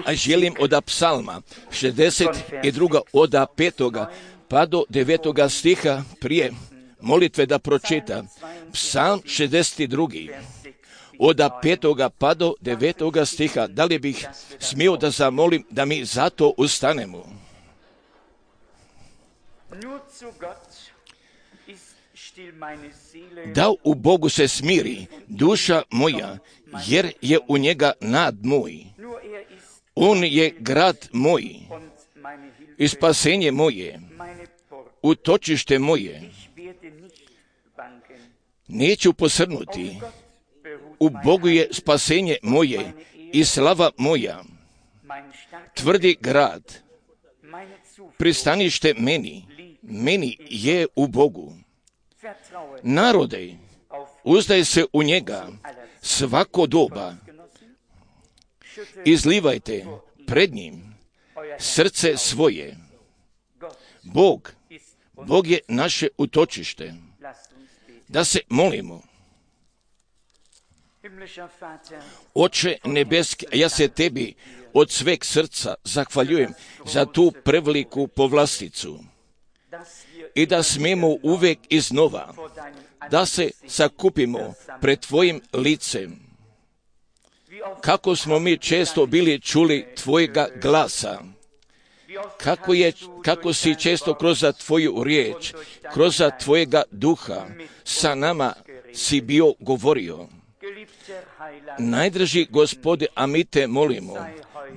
A želim od psalma 62. od 5. pa do 9. stiha prije molitve da pročita. Psalm 62. od 5. pa do 9. stiha. Da li bih smio da zamolim da mi zato ustanemo? Da u Bogu se smiri duša moja, jer je u njega nad moj. On je grad moj i spasenje moje, utočište moje. Neću posrnuti. U Bogu je spasenje moje i slava moja. Tvrdi grad, pristanište meni je u Bogu. Narode, uzdaj se u njega svako doba. Izlivajte pred njim srce svoje. Bog je naše utočište. Da se molimo. Oče nebeski, ja se tebi od sveg srca zahvaljujem za tu preveliku povlasticu i da smemo uvek iznova da se sakupimo pred tvojim licem. Kako smo mi često bili čuli tvojega glasa, kako si često kroz tvoju riječ, kroz tvojega duha sa nama si bio govorio. Najdraži Gospode, a mi te molimo,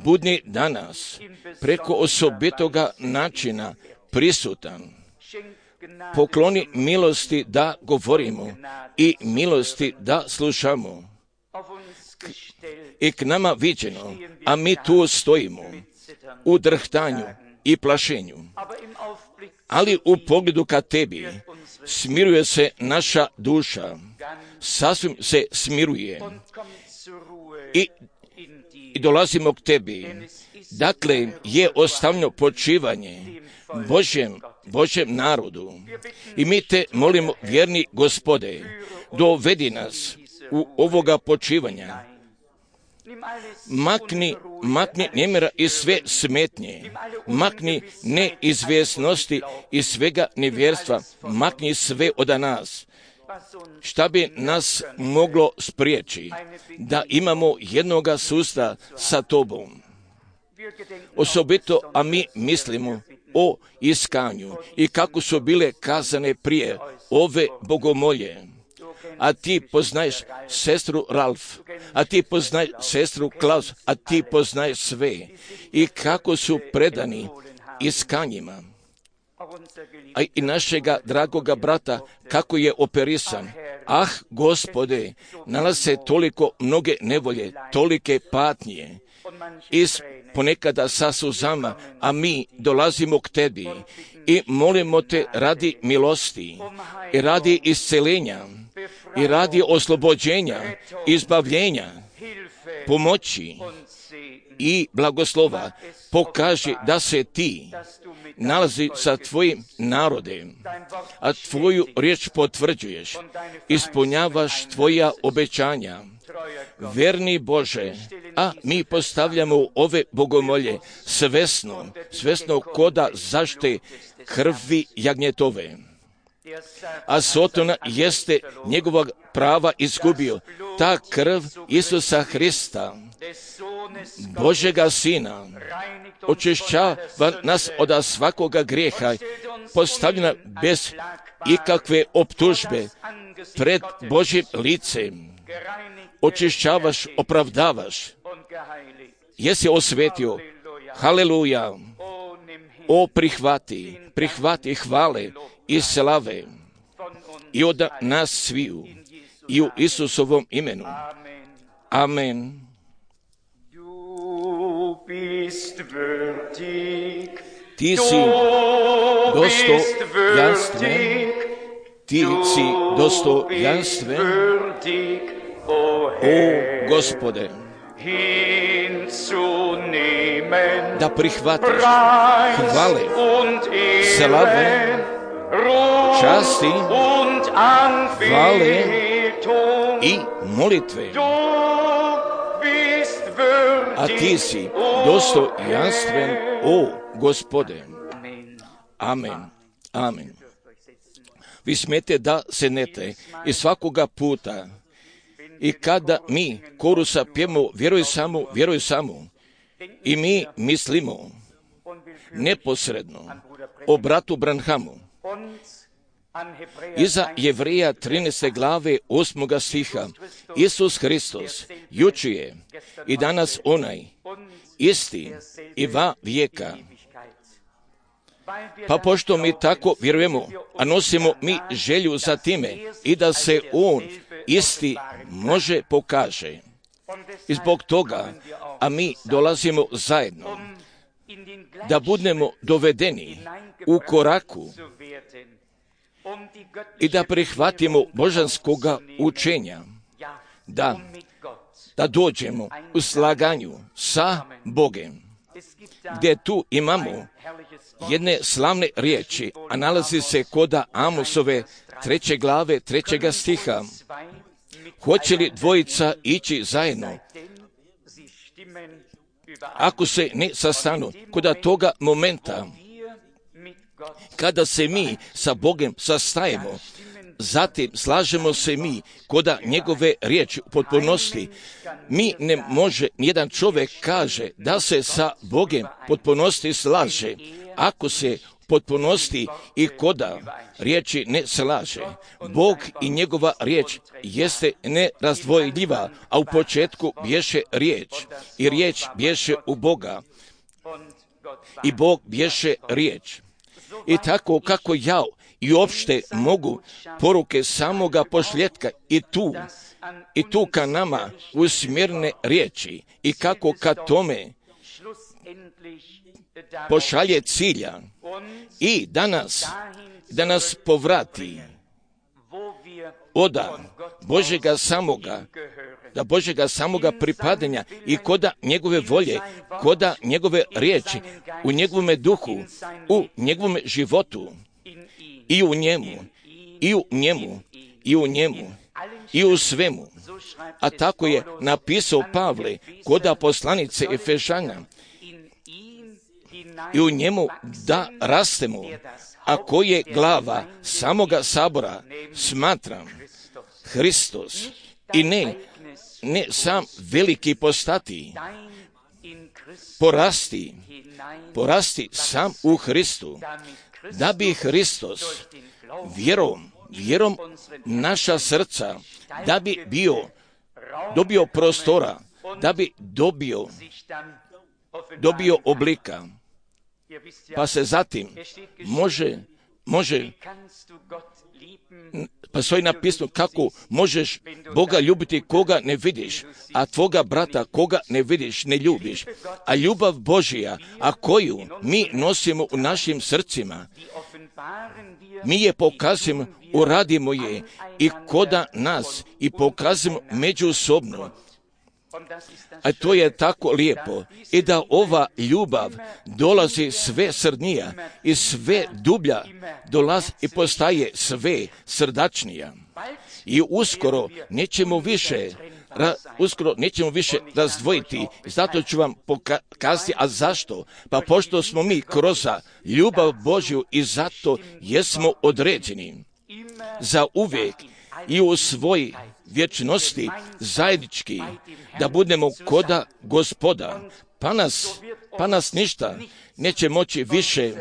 budni danas preko osobitoga načina prisutan. Pokloni milosti da govorimo i milosti da slušamo. I k nama viđeno, a mi tu stojimo u drhtanju i plašenju. Ali u pogledu ka tebi smiruje se naša duša, sasvim se smiruje i dolazimo k tebi. Dakle, je ostavljeno počivanje Božjem narodu. I mi te molimo, vjerni Gospode, dovedi nas u ovoga počivanja. Makni nemira i sve smetnje, makni neizvjesnosti i svega nevjerstva, makni sve od nas. Šta bi nas moglo spriječi da imamo jednoga susta sa tobom? Osobito, a mi mislimo o iskanju i kako su bile kazane prije ove bogomolje. A ti poznaješ sestru Ralf, a ti poznaješ sestru Klaus, a ti poznaješ sve i kako su predani iskanjima. A i našega dragoga brata, kako je operisan. Ah, Gospode, nalaze se toliko mnoge nevolje, tolike patnje. Ponekada sa suzama, a mi dolazimo k tebi i molimo te radi milosti i radi iscelenja i radi oslobođenja, izbavljenja, pomoći i blagoslova. Pokaži da se ti nalazi sa tvojim narodem, a tvoju riječ potvrđuješ, ispunjavaš tvoja obećanja. Verni Bože, a mi postavljamo ove bogomolje svesno koda zašte krvi jagnjetove. A Sotona jeste njegovog prava izgubio. Ta krv Isusa Hrista, Božega Sina, očišćava nas od svakoga grijeha, postavljena bez ikakve optužbe pred Božjim licem. Očišćavaš, opravdavaš. Jesi osvetio. Haleluja. O, prihvati hvale i slave i od nas sviju i u Isusovom imenu. Amen. Ti si dostojanstven, ti si dostojanstven, o Gospode, da prihvatiš hvale, slave, časti, hvale i molitve. a ti si dostojanstven, o Gospode. Amen. Amen. Vi smijete da se nete i svakoga puta i kada mi korusa pjemo vjeruj samo i mi mislimo neposredno o bratu Branhamu. Iza Jevreja 13. glave 8. stiha Isus Hristos jučer je i danas onaj isti i va vijeka. Pa pošto mi tako vjerujemo, a nosimo mi želju za time i da se on isti može pokaže. I zbog toga, a mi dolazimo zajedno, da budemo dovedeni u koraku i da prihvatimo božanskoga učenja, da dođemo u slaganju sa Bogem, gdje tu imamo jedne slavne riječi, a nalazi se kod Amosove 3. glave 3. stiha. Hoće li dvojica ići zajedno? Ako se ne sastanu, kod toga momenta, kada se mi sa Bogom sastajemo, zatim slažemo se mi kod njegove riječi u potpunosti. Mi ne može, nijedan čovjek kaže da se sa Bogom potpunosti slaže, ako se potpunosti i koda riječi ne slaže. Bog i njegova riječ jeste nerazdvojljiva, a u početku bješe riječ i riječ bješe u Boga i Bog bješe riječ. I tako kako ja i uopšte mogu poruke samoga pošljetka i tu ka nama usmjerne riječi i kako ka tome pošalje cilja i da nas povrati od Božjega samoga pripadanja i koda njegove volje, koda njegove riječi, u njegovome duhu, u njegovome životu i u njemu i u svemu. A tako je napisao Pavle koda poslanice Efežana, i u njemu da rastemo, a koji je glava samoga sabora, smatram Hristos, i ne sam veliki postati, porasti sam u Hristu, da bi Hristos vjerom naša srca, da bi dobio prostora, da bi dobio oblika, pa se zatim može pa stoji napisano kako možeš Boga ljubiti koga ne vidiš, a tvoga brata koga ne vidiš ne ljubiš. A ljubav Božja, a koju mi nosimo u našim srcima, mi je pokazujemo, uradimo je i koda nas i pokazujemo međusobno. A to je tako lijepo i da ova ljubav dolazi sve srdnija i sve dublja dolazi i postaje sve srdačnija. I uskoro nećemo više razdvojiti. Zato ću vam pokazati, a zašto? Pa pošto smo mi kroz ljubav Božju i zato jesmo određeni za uvijek i u svoj vječnosti zajednički da budemo koda Gospoda, pa nas ništa neće moći više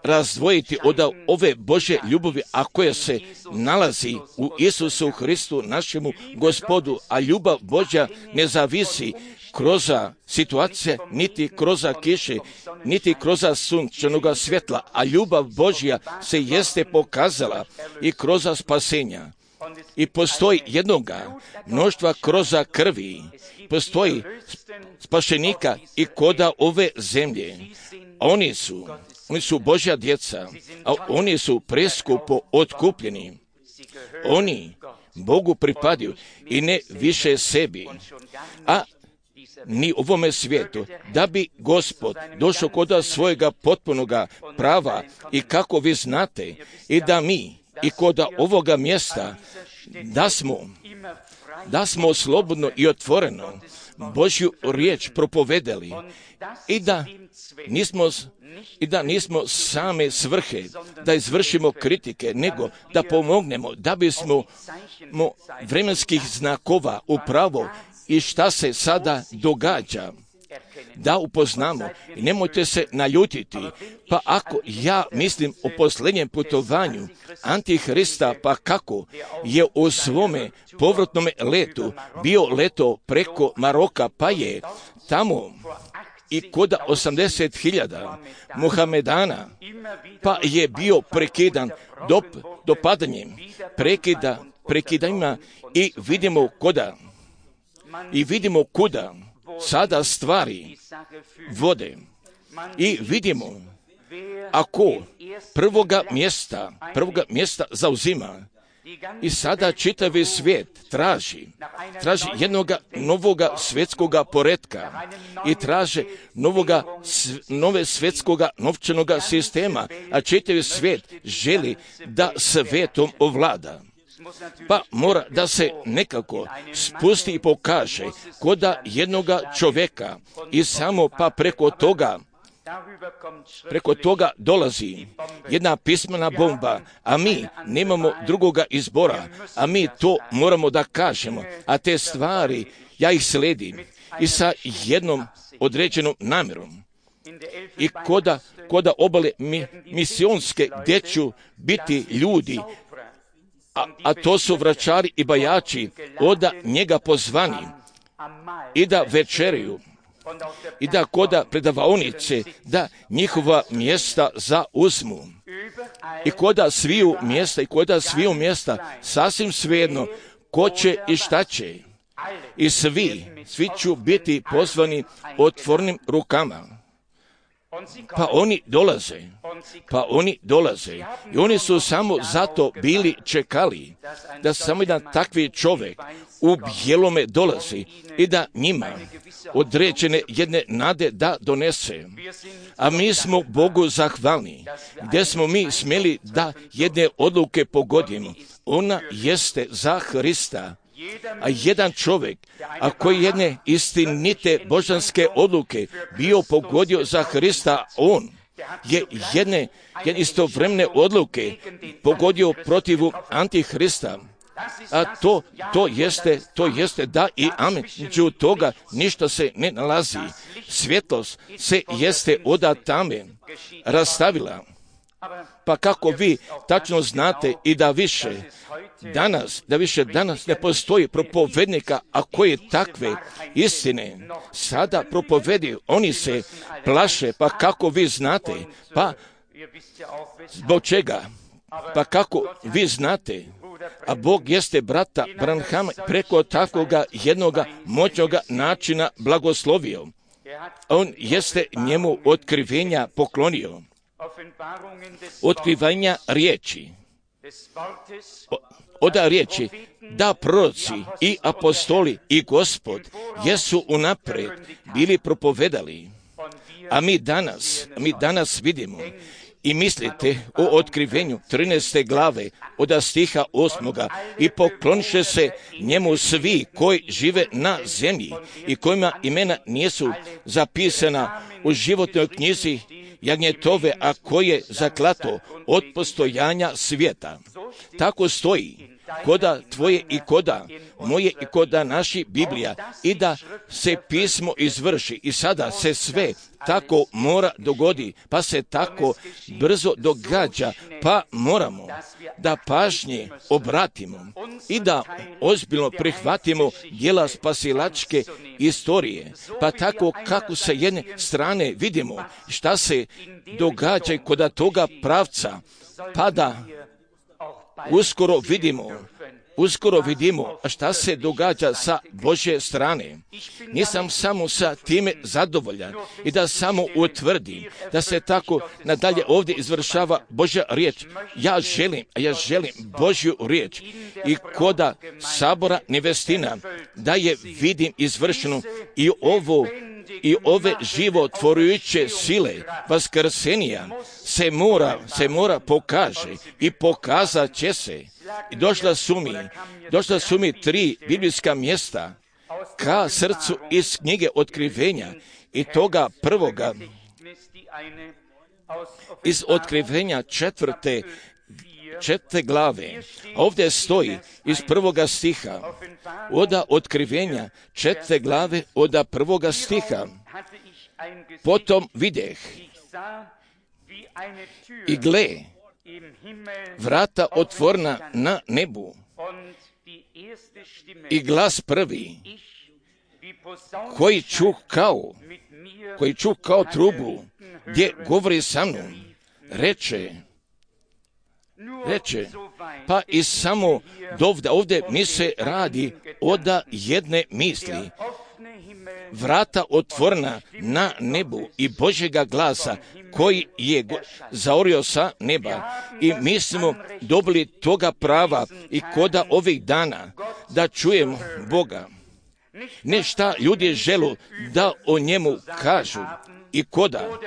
razdvojiti od ove Božje ljubavi, a koja se nalazi u Isusu Hristu, našemu Gospodu, a ljubav Božja ne zavisi kroz situacije, niti kroz kiše, niti kroz sunčanoga svjetla, a ljubav Božja se jeste pokazala i kroz spasenja. I postoji jednoga mnoštva kroz krvi, postoji spašenika i koda ove zemlje. Oni su Božja djeca, a oni su preskupo otkupljeni. Oni Bogu pripadaju i ne više sebi, a ni ovome svijetu, da bi Gospod došao kod svojega potpunoga prava i kako vi znate i da mi i kod ovoga mjesta da smo slobodno i otvoreno Božju riječ propovedali i da nismo same svrhe da izvršimo kritike, nego da pomognemo da bismo vremenskih znakova upravo i šta se sada događa da upoznamo. I nemojte se naljutiti, pa ako ja mislim o posljednjem putovanju Antihrista, pa kako je u svome povratnom letu bio leto preko Maroka, pa je tamo i kod 80.000 Muhamedana, pa je bio prekidan dopadanjem, prekidanjima i vidimo kuda sada stvari vode. I vidimo, ako prvoga mjesta zauzima, i sada čitavi svijet traži jednoga novoga svjetskoga poretka i traže nove svjetskoga novčanoga sistema, a čitavi svijet želi da svijetom ovlada. Pa mora da se nekako spusti i pokaže koda jednoga čovjeka i samo pa preko toga dolazi jedna pismena bomba, a mi nemamo drugoga izbora, a mi to moramo da kažemo, a te stvari ja ih sledim i sa jednom određenom namjerom. I koda obale misionske gdje ću biti ljudi, a to su vračari i bajači, oda njega pozvani i da večeraju i da koda predavaonice da njihova mjesta zauzmu. I koda sviju mjesta sasvim svejedno ko će i šta će. I svi ću biti pozvani otvornim rukama. Pa oni dolaze i oni su samo zato bili čekali da samo jedan takvi čovjek u bijelome dolazi i da njima određene jedne nade da donese. A mi smo Bogu zahvalni, gdje smo mi smjeli da jedne odluke pogodimo. Ona jeste za Hrista. A jedan čovjek, a koji jedne istinite božanske odluke bio pogodio za Hrista, on je jedne istovremene odluke pogodio protivu Antihrista. A to jeste da i amen. Među toga ništa se ne nalazi. Svjetlost se jeste od tame rastavila. Pa kako vi tačno znate i da više danas ne postoji propovednika, a koji takve istine sada propovedi, oni se plaše, pa kako vi znate, pa zbog čega, pa kako vi znate, a Bog jeste brata Branhama preko takvoga jednoga moćnoga načina blagoslovio. On jeste njemu otkrivenja poklonio. Otkrivanja riječi. Oda riječi da proroci i apostoli i Gospod jesu unaprijed bili propovedali. A mi danas vidimo i mislite o otkrivenju 13. glave od stiha 8. i pokloniše se njemu svi koji žive na zemlji i kojima imena nisu zapisana u životnoj knjizi jagnjetove, a koje zaklato od postojanja svijeta. Tako stoji koda tvoje i koda moje i koda naši Biblija, i da se pismo izvrši. I sada se sve tako mora dogodi, pa se tako brzo događa, pa moramo da pažnje obratimo i da ozbiljno prihvatimo djela spasilačke istorije, pa tako kako sa jedne strane vidimo šta se događa kod toga pravca, pa da uskoro vidimo šta se događa sa Božje strane. Nisam samo sa time zadovoljan i da samo utvrdim da se tako nadalje ovdje izvršava Božja riječ. Ja želim Božju riječ i koda sabora nevestina da je vidim izvršenu i ove životvorujuće sile vaskrsenija se mora pokaže i pokazat će se. I došla su mi 3 biblijska mjesta ka srcu iz knjige Otkrivenja i toga prvoga, iz Otkrivenja četvrte glave. Ovdje stoji iz prvoga stiha, oda Otkrivenja četvrte glave, oda prvoga stiha. Potom videh i gle, vrata otvorena na nebu i glas prvi, koji čuh kao trubu, gdje govori sa mnom, reče, pa i samo ovdje mi se radi oda jedne misli. Vrata otvorena na nebu i Božjega glasa koji je zaorio sa neba. I mi smo dobili toga prava i koda ovih dana da čujemo Boga. Ne šta ljudi želu da o njemu kažu i koda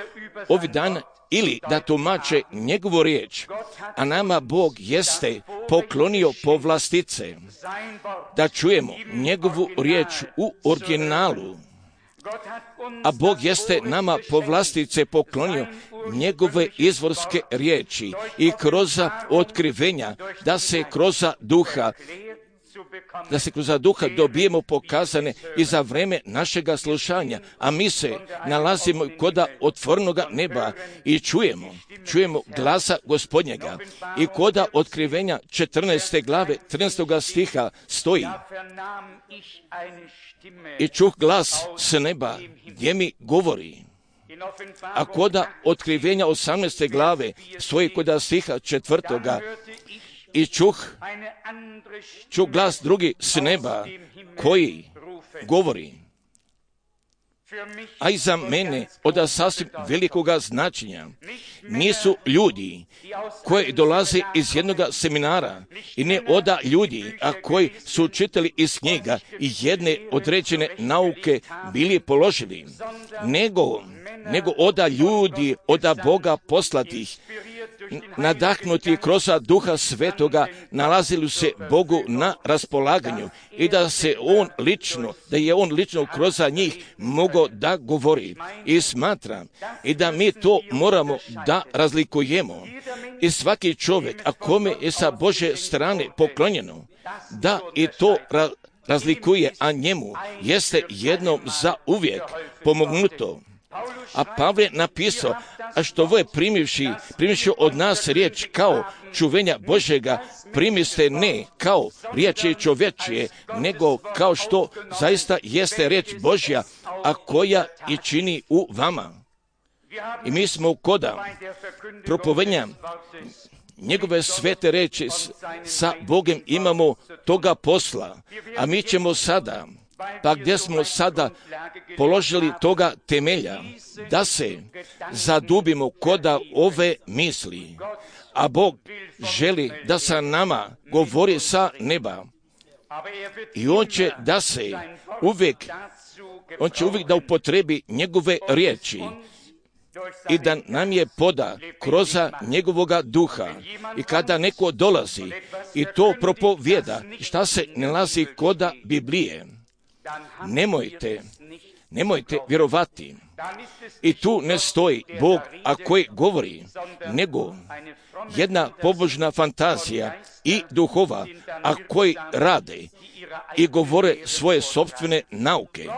ovih dana ili da tumače njegovu riječ, a nama Bog jeste poklonio povlastice da čujemo njegovu riječ u originalu. A Bog jeste nama povlastice poklonio njegove izvorske riječi i kroz otkrivenja, da se kroz duha dobijemo pokazane i za vreme našega slušanja, a mi se nalazimo kod otvorenoga neba i čujemo glasa Gospodnjega. I kod Otkrivenja 14. glave 13. stiha stoji: i čuh glas s neba gdje mi govori. A kod Otkrivenja 18. glave stoji kod stiha 4. i čuh glas drugi s neba koji govori. A i za mene od sasvim velikoga značenja nisu ljudi koji dolaze iz jednoga seminara i ne oda ljudi, a koji su čitali iz knjiga i jedne određene nauke bili položili, nego oda ljudi, oda Boga poslatih, nadahnuti kroz Duha Svetoga, nalazili se Bogu na raspolaganju i da je On lično kroz njih mogao da govori. I smatram i da mi to moramo da razlikujemo. I svaki čovjek, a kome je sa Božje strane poklonjeno, da i to razlikuje, a njemu jeste jednom za uvijek pomognuto. A Pavle je napisao, a što ovo je primivši od nas riječ kao čuvenja Božjega, primiste ne kao riječi čovječije, nego kao što zaista jeste riječ Božja, a koja i čini u vama. I mi smo koda propovedanja njegove svete reči sa Bogom imamo toga posla, a mi ćemo sada, pa gdje smo sada položili toga temelja, da se zadubimo koda ove misli, a Bog želi da sa nama govori sa neba. I On će uvijek da upotrebi njegove riječi i da nam je poda kroz njegovoga duha. I kada neko dolazi i to propovjeda, šta se nalazi koda Biblije, nemojte vjerovati. I tu ne stoji Bog, a koji govori, nego jedna pobožna fantazija i duhova, a koji rade i govore svoje sopstvene nauke.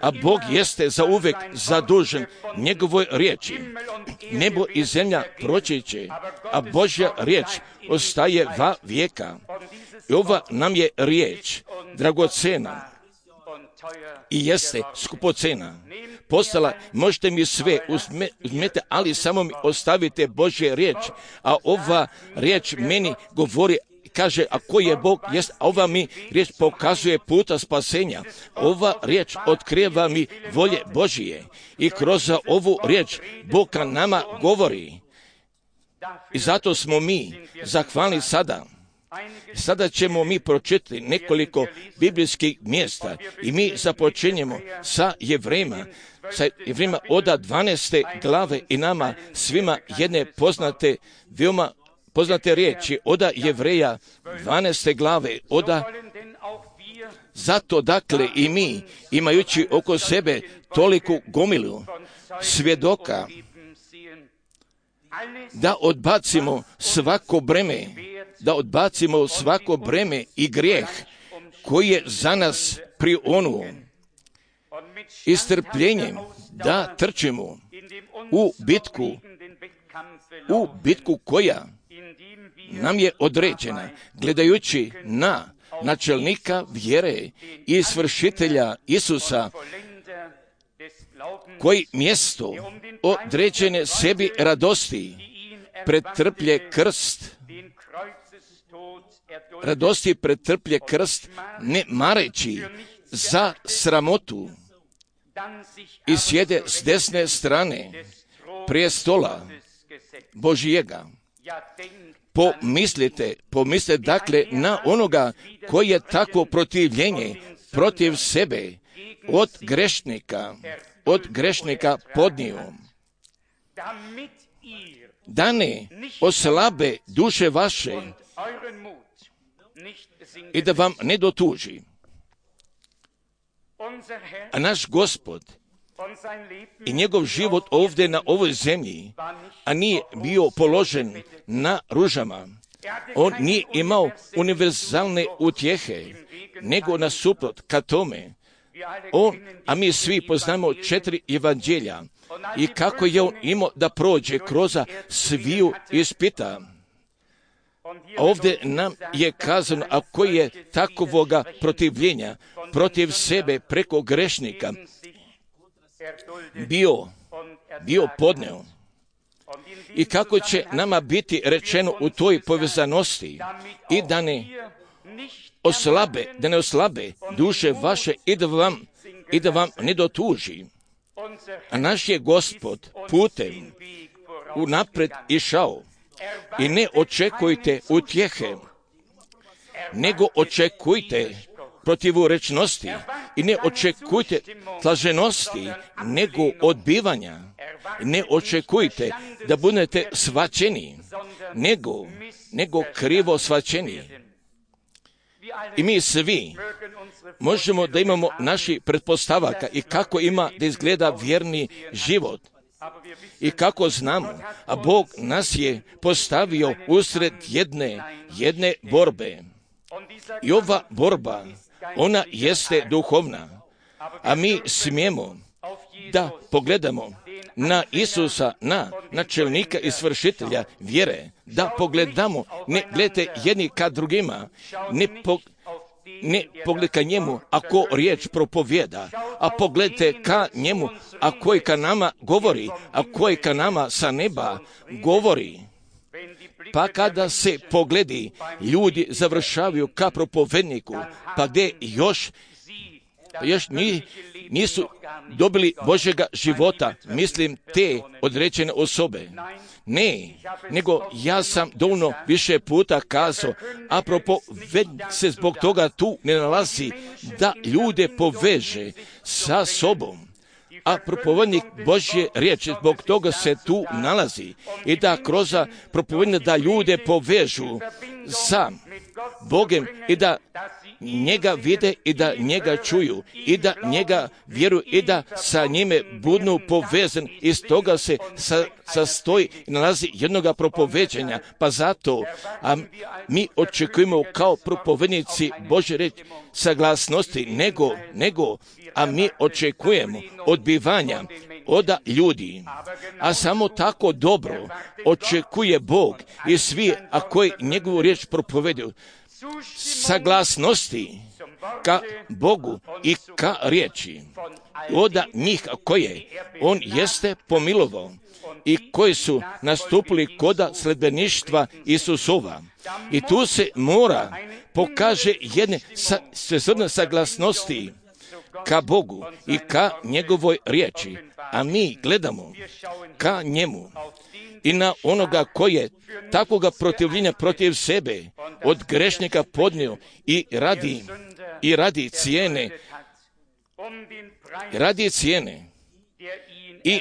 A Bog jeste za uvijek zadužen njegovoj riječi. Nebo i zemlja proći će, a Božja riječ ostaje va vijeka. I ova nam je riječ dragocena i jeste skupocena. Postala, možete mi sve uzmete, ali samo mi ostavite Božje riječ. A ova riječ meni govori, kaže, a koji je Bog, jest, a ova mi riječ pokazuje puta spasenja. Ova riječ otkriva mi volje Božije i kroz ovu riječ Bog nama govori. I zato smo mi zahvalni sada. Sada ćemo mi pročitati nekoliko biblijskih mjesta i mi započinjemo sa Jevrejima od 12. glave i nama svima jedne veoma poznate riječi od Jevreja 12. glave, Zato dakle i mi, imajući oko sebe toliku gomilu svjedoka, da odbacimo svako breme i grijeh koji je za nas prionuo, i strpljenjem da trčimo u bitku koja nam je određena, gledajući na načelnika vjere i svršitelja Isusa, koji mjesto određene sebi radosti pretrplje krst, ne mareći za sramotu, i sjede s desne strane prijestola Božijega. Pomislite dakle na onoga koji je takvo protivljenje protiv sebe od grešnika podnio, da ne oslabe duše vaše i da vam ne dotuži. A naš Gospod i njegov život ovdje na ovoj zemlji, a nije bio položen na ružama. On nije imao univerzalne utjehe, nego nasuprot ka tome. A mi svi poznamo 4 evanđelja i kako je on imao da prođe kroz sviju ispita. Ovdje nam je kazano, a koji je takovoga protivljenja protiv sebe preko grešnika bio podneo. I kako će nama biti rečeno u toj povezanosti, i da ne oslabe duše vaše i da vam ne dotuži. A naš je Gospod putem unaprijed išao, i ne očekujte utjehe, nego očekujte protivurečnosti, i ne očekujte slaženosti, nego odbivanja. Ne očekujte da budete svaćeni, nego krivo svaćeni. I mi svi možemo da imamo naših pretpostavaka i kako ima da izgleda vjerni život. I kako znamo, a Bog nas je postavio usred jedne borbe. I ova borba, ona jeste duhovna, a mi smijemo da pogledamo na Isusa, na načelnika i svršitelja vjere, da pogledamo, ne gledajte jedni ka drugima, ne pogledajte ka njemu ako riječ propovjeda, a pogledajte ka njemu a koji ka nama govori, a koji ka nama sa neba govori. Pa kada se pogledi, ljudi završavaju ka propovedniku, pa gdje još nisu dobili Božjega života, mislim te određene osobe. Ne, nego ja sam dovoljno više puta kazao, a propovednik se zbog toga tu ne nalazi da ljude poveže sa sobom. A propovednik Božje riječi zbog toga se tu nalazi, i da kroz propovednika da ljude povežu sa Bogom i da njega vide i da njega čuju i da njega vjeruju i da sa njime budu povezan. Iz toga se sastoji i nalazi jednoga propoveđenja. Pa zato mi očekujemo kao propovednici Božje riječi saglasnosti, a mi očekujemo odbivanja od ljudi. A samo tako dobro očekuje Bog i svi, a koji njegovu riječ propovedaju, saglasnosti ka Bogu i ka riječi od njih koje on jeste pomilovao i koji su nastupili koda sledbeništva Isusova. I tu se mora pokaže jedne svesrdne saglasnosti ka Bogu i ka njegovoj riječi, a mi gledamo ka njemu i na onoga koji je takvoga protivljenja protiv sebe od grešnika podnio i radi cijene i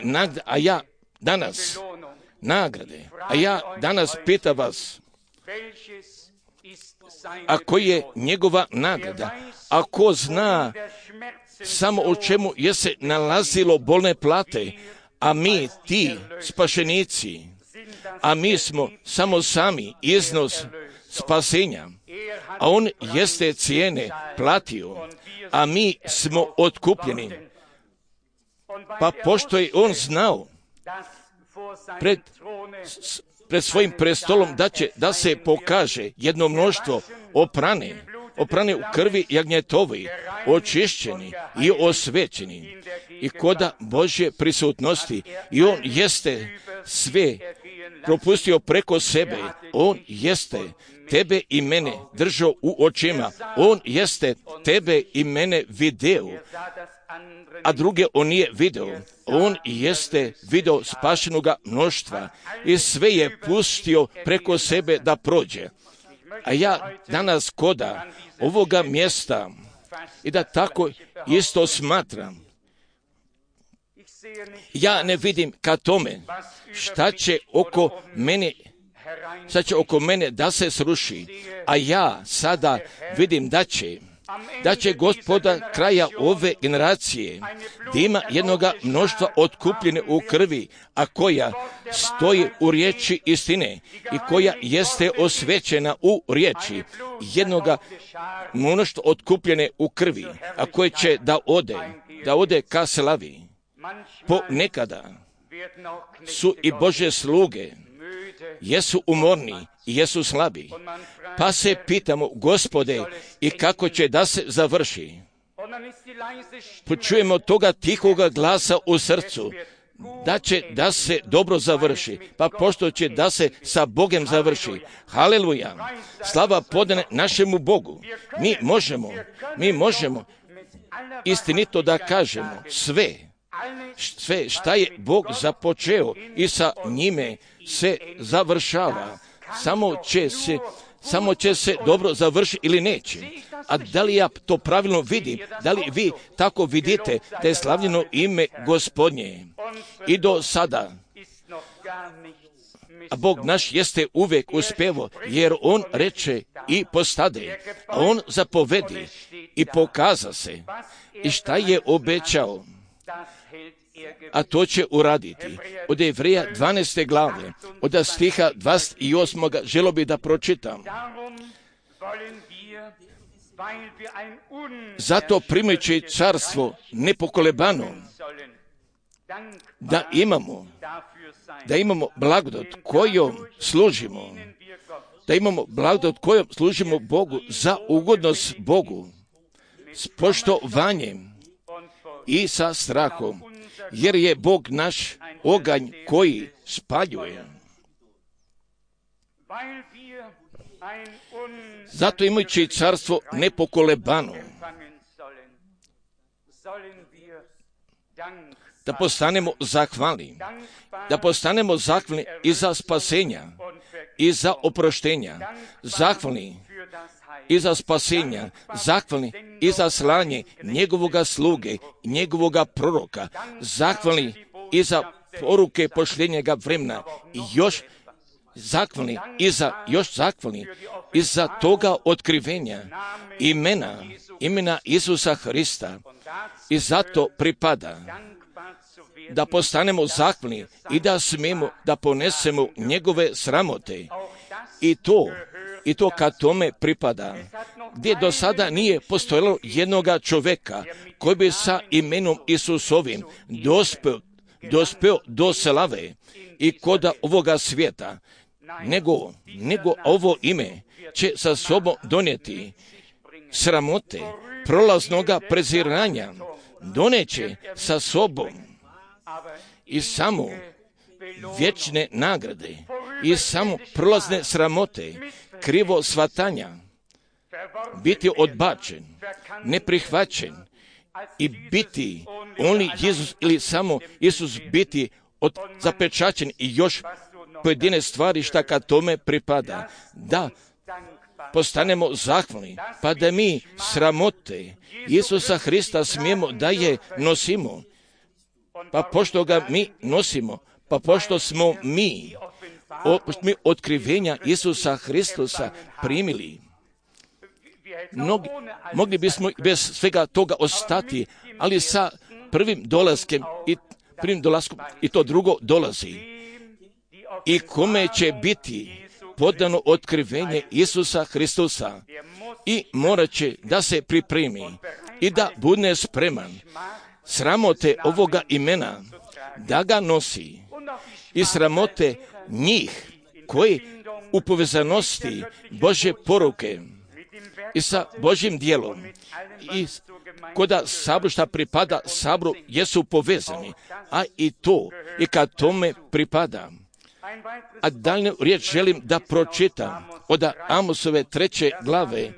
nagrade, a ja danas pitam vas, ako je njegova nagrada, ako zna samo o čemu je se nalazilo bolne plate, a mi, ti spašenici, a mi smo samo sami iznos spasenja, a on jeste cijene platio, a mi smo otkupljeni. Pa pošto je on znao pred svojim prestolom da se pokaže jedno mnoštvo oprane u krvi jagnjetovi, očišćeni i osvećeni i koda Božje prisutnosti, i on jeste sve propustio preko sebe, on jeste tebe i mene držao u očima, on jeste tebe i mene video, a druge on nije video. On jeste video spašenoga mnoštva i sve je pustio preko sebe da prođe. A ja danas koda ovoga mjesta i da tako isto smatram, ja ne vidim ka tome šta će oko mene da se sruši, a ja sada vidim da će Gospoda kraja ove generacije da ima jednoga mnoštva otkupljene u krvi, a koja stoji u riječi istine i koja jeste osvećena u riječi, jednoga mnoštva otkupljene u krvi, a koje će da ode ka slavi. Ponekada su i Božje sluge jesu umorni i jesu slabi, pa se pitamo, Gospode, i kako će da se završi? Počujemo toga tihoga glasa u srcu, da će da se dobro završi, pa pošto će da se sa Bogem završi. Haleluja! Slava podane našemu Bogu. Mi možemo istinito da kažemo sve šta je Bog započeo i sa njime se završava. Samo će se dobro završiti ili neće. A da li ja to pravilno vidim? Da li vi tako vidite da je slavljeno ime Gospodnje? I do sada, a Bog naš jeste uvijek uspevo, jer on reče i postade, a on zapovedi i pokaza se. I šta je obećao? A to će uraditi. Od Jevreja 12. glave, od stiha 28. želo bi da pročitam. Zato primajući carstvo nepokolebano, da imamo blagodat kojom služimo, Bogu za ugodnost Bogu, s poštovanjem i sa strahom, jer je Bog naš oganj koji spaljuje. Zato imajući carstvo nepokolebano, da postanemo zahvalni i za spasenja i za oproštenja, zahvalni i za spasenja, zahvalni i za slanje njegovoga sluge, njegovoga proroka, zahvalni i za poruke pošljenjega vremena, i još zahvalni i za toga otkrivenja imena Isusa Hrista. I zato pripada da postanemo zahvalni i da smijemo da ponesemo njegove sramote. I to kad tome pripada, gdje do sada nije postojalo jednoga čovjeka koji bi sa imenom Isusovim dospeo do slave i koda ovoga svijeta, nego ovo ime će sa sobom donijeti sramote, prolaznoga preziranja, doneće sa sobom i samo vječne nagrade i samo prolazne sramote, krivo shvatanja, biti odbačen, neprihvaćen i biti only Isus ili samo Isus biti zapečaćen i još pojedine stvari šta kad tome pripada. Da postanemo zahvalni, pa da mi sramote Isusa Hrista smijemo da je nosimo, pa pošto ga mi nosimo, pa pošto smo mi mi otkrivenja Isusa Hristusa primili. Mogli bismo bez svega toga ostati, ali sa prvim dolaskom i to drugo dolazi. I kome će biti podano otkrivenje Isusa Hristusa i morat će da se pripremi i da bude spreman sramote ovoga imena da ga nosi i sramote njih koji u povezanosti Božje poruke i sa Božjim djelom i koda sabor šta pripada sabru jesu povezani, a i to i kad tome pripada. A daljnju riječ želim da pročitam od Amosove 3. glave,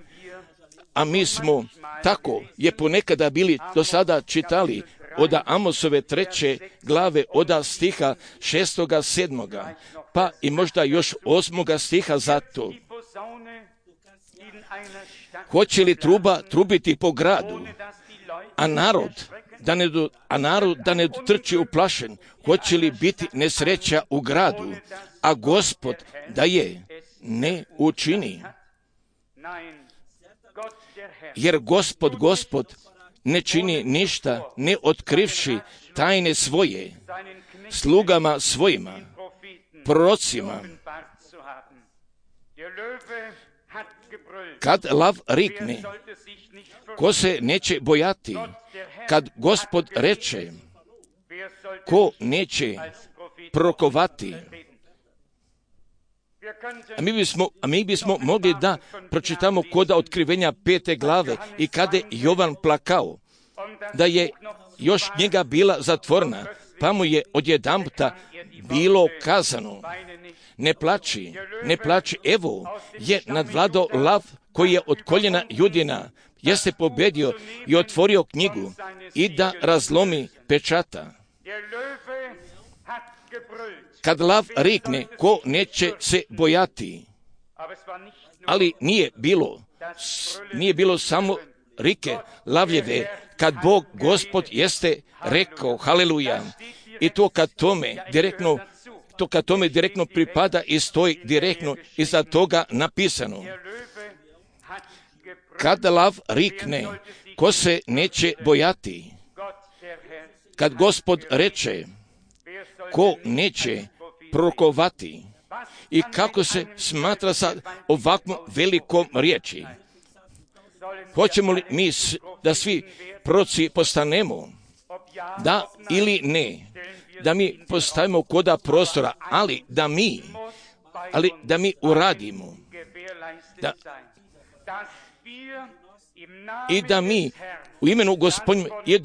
a mi smo tako je ponekada bili do sada čitali od Amosove 3. glave od stiha 6. 7. pa i možda još 8. stiha zato. Hoće li truba trubiti po gradu, a narod da ne trči uplašen? Hoće li biti nesreća u gradu, a Gospod da je ne učini? Jer Gospod ne čini ništa, ne otkrivši tajne svoje slugama svojima, prorocima. Kad lav rikne, ko se neće bojati? Kad Gospod reče, ko neće prorokovati? A mi bismo mogli da pročitamo koda otkrivenja 5. glave i kada je Jovan plakao, da je još njega bila zatvorena, pa mu je odjedanputa bilo kazano, ne plači, evo je nadvladao lav koji je od koljena Judina, jeste pobedio i otvorio knjigu i da razlomi pečata. Kad lav rikne, ko neće se bojati? Ali nije bilo samo rike lavljeve, kad Bog Gospod jeste rekao, haleluja, i to kad tome direktno pripada i stoji direktno iza toga napisano. Kad lav rikne, ko se neće bojati? Kad Gospod reče, ko neće prorokovati? I kako se smatra sa ovakvom velikom riječi? Hoćemo li mi da svi proroci postanemo? Da ili ne? Da mi postavimo koda prostora, ali da mi uradimo. I da mi u imenu Gospodnjem i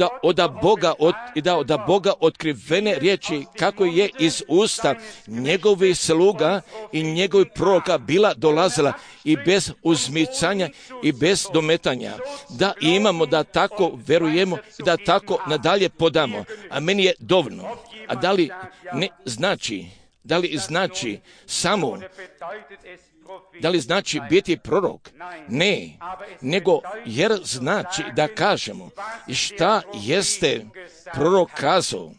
da od Boga otkrivene riječi kako je iz usta njegovih sluga i njegovih proroka bila dolazila i bez uzmicanja i bez dometanja. Da imamo, da tako verujemo i da tako nadalje podamo. A meni je dovoljno. A da li znači samo, da li znači biti prorok? Ne, nego jer znači da kažemo šta jeste prorok kazao,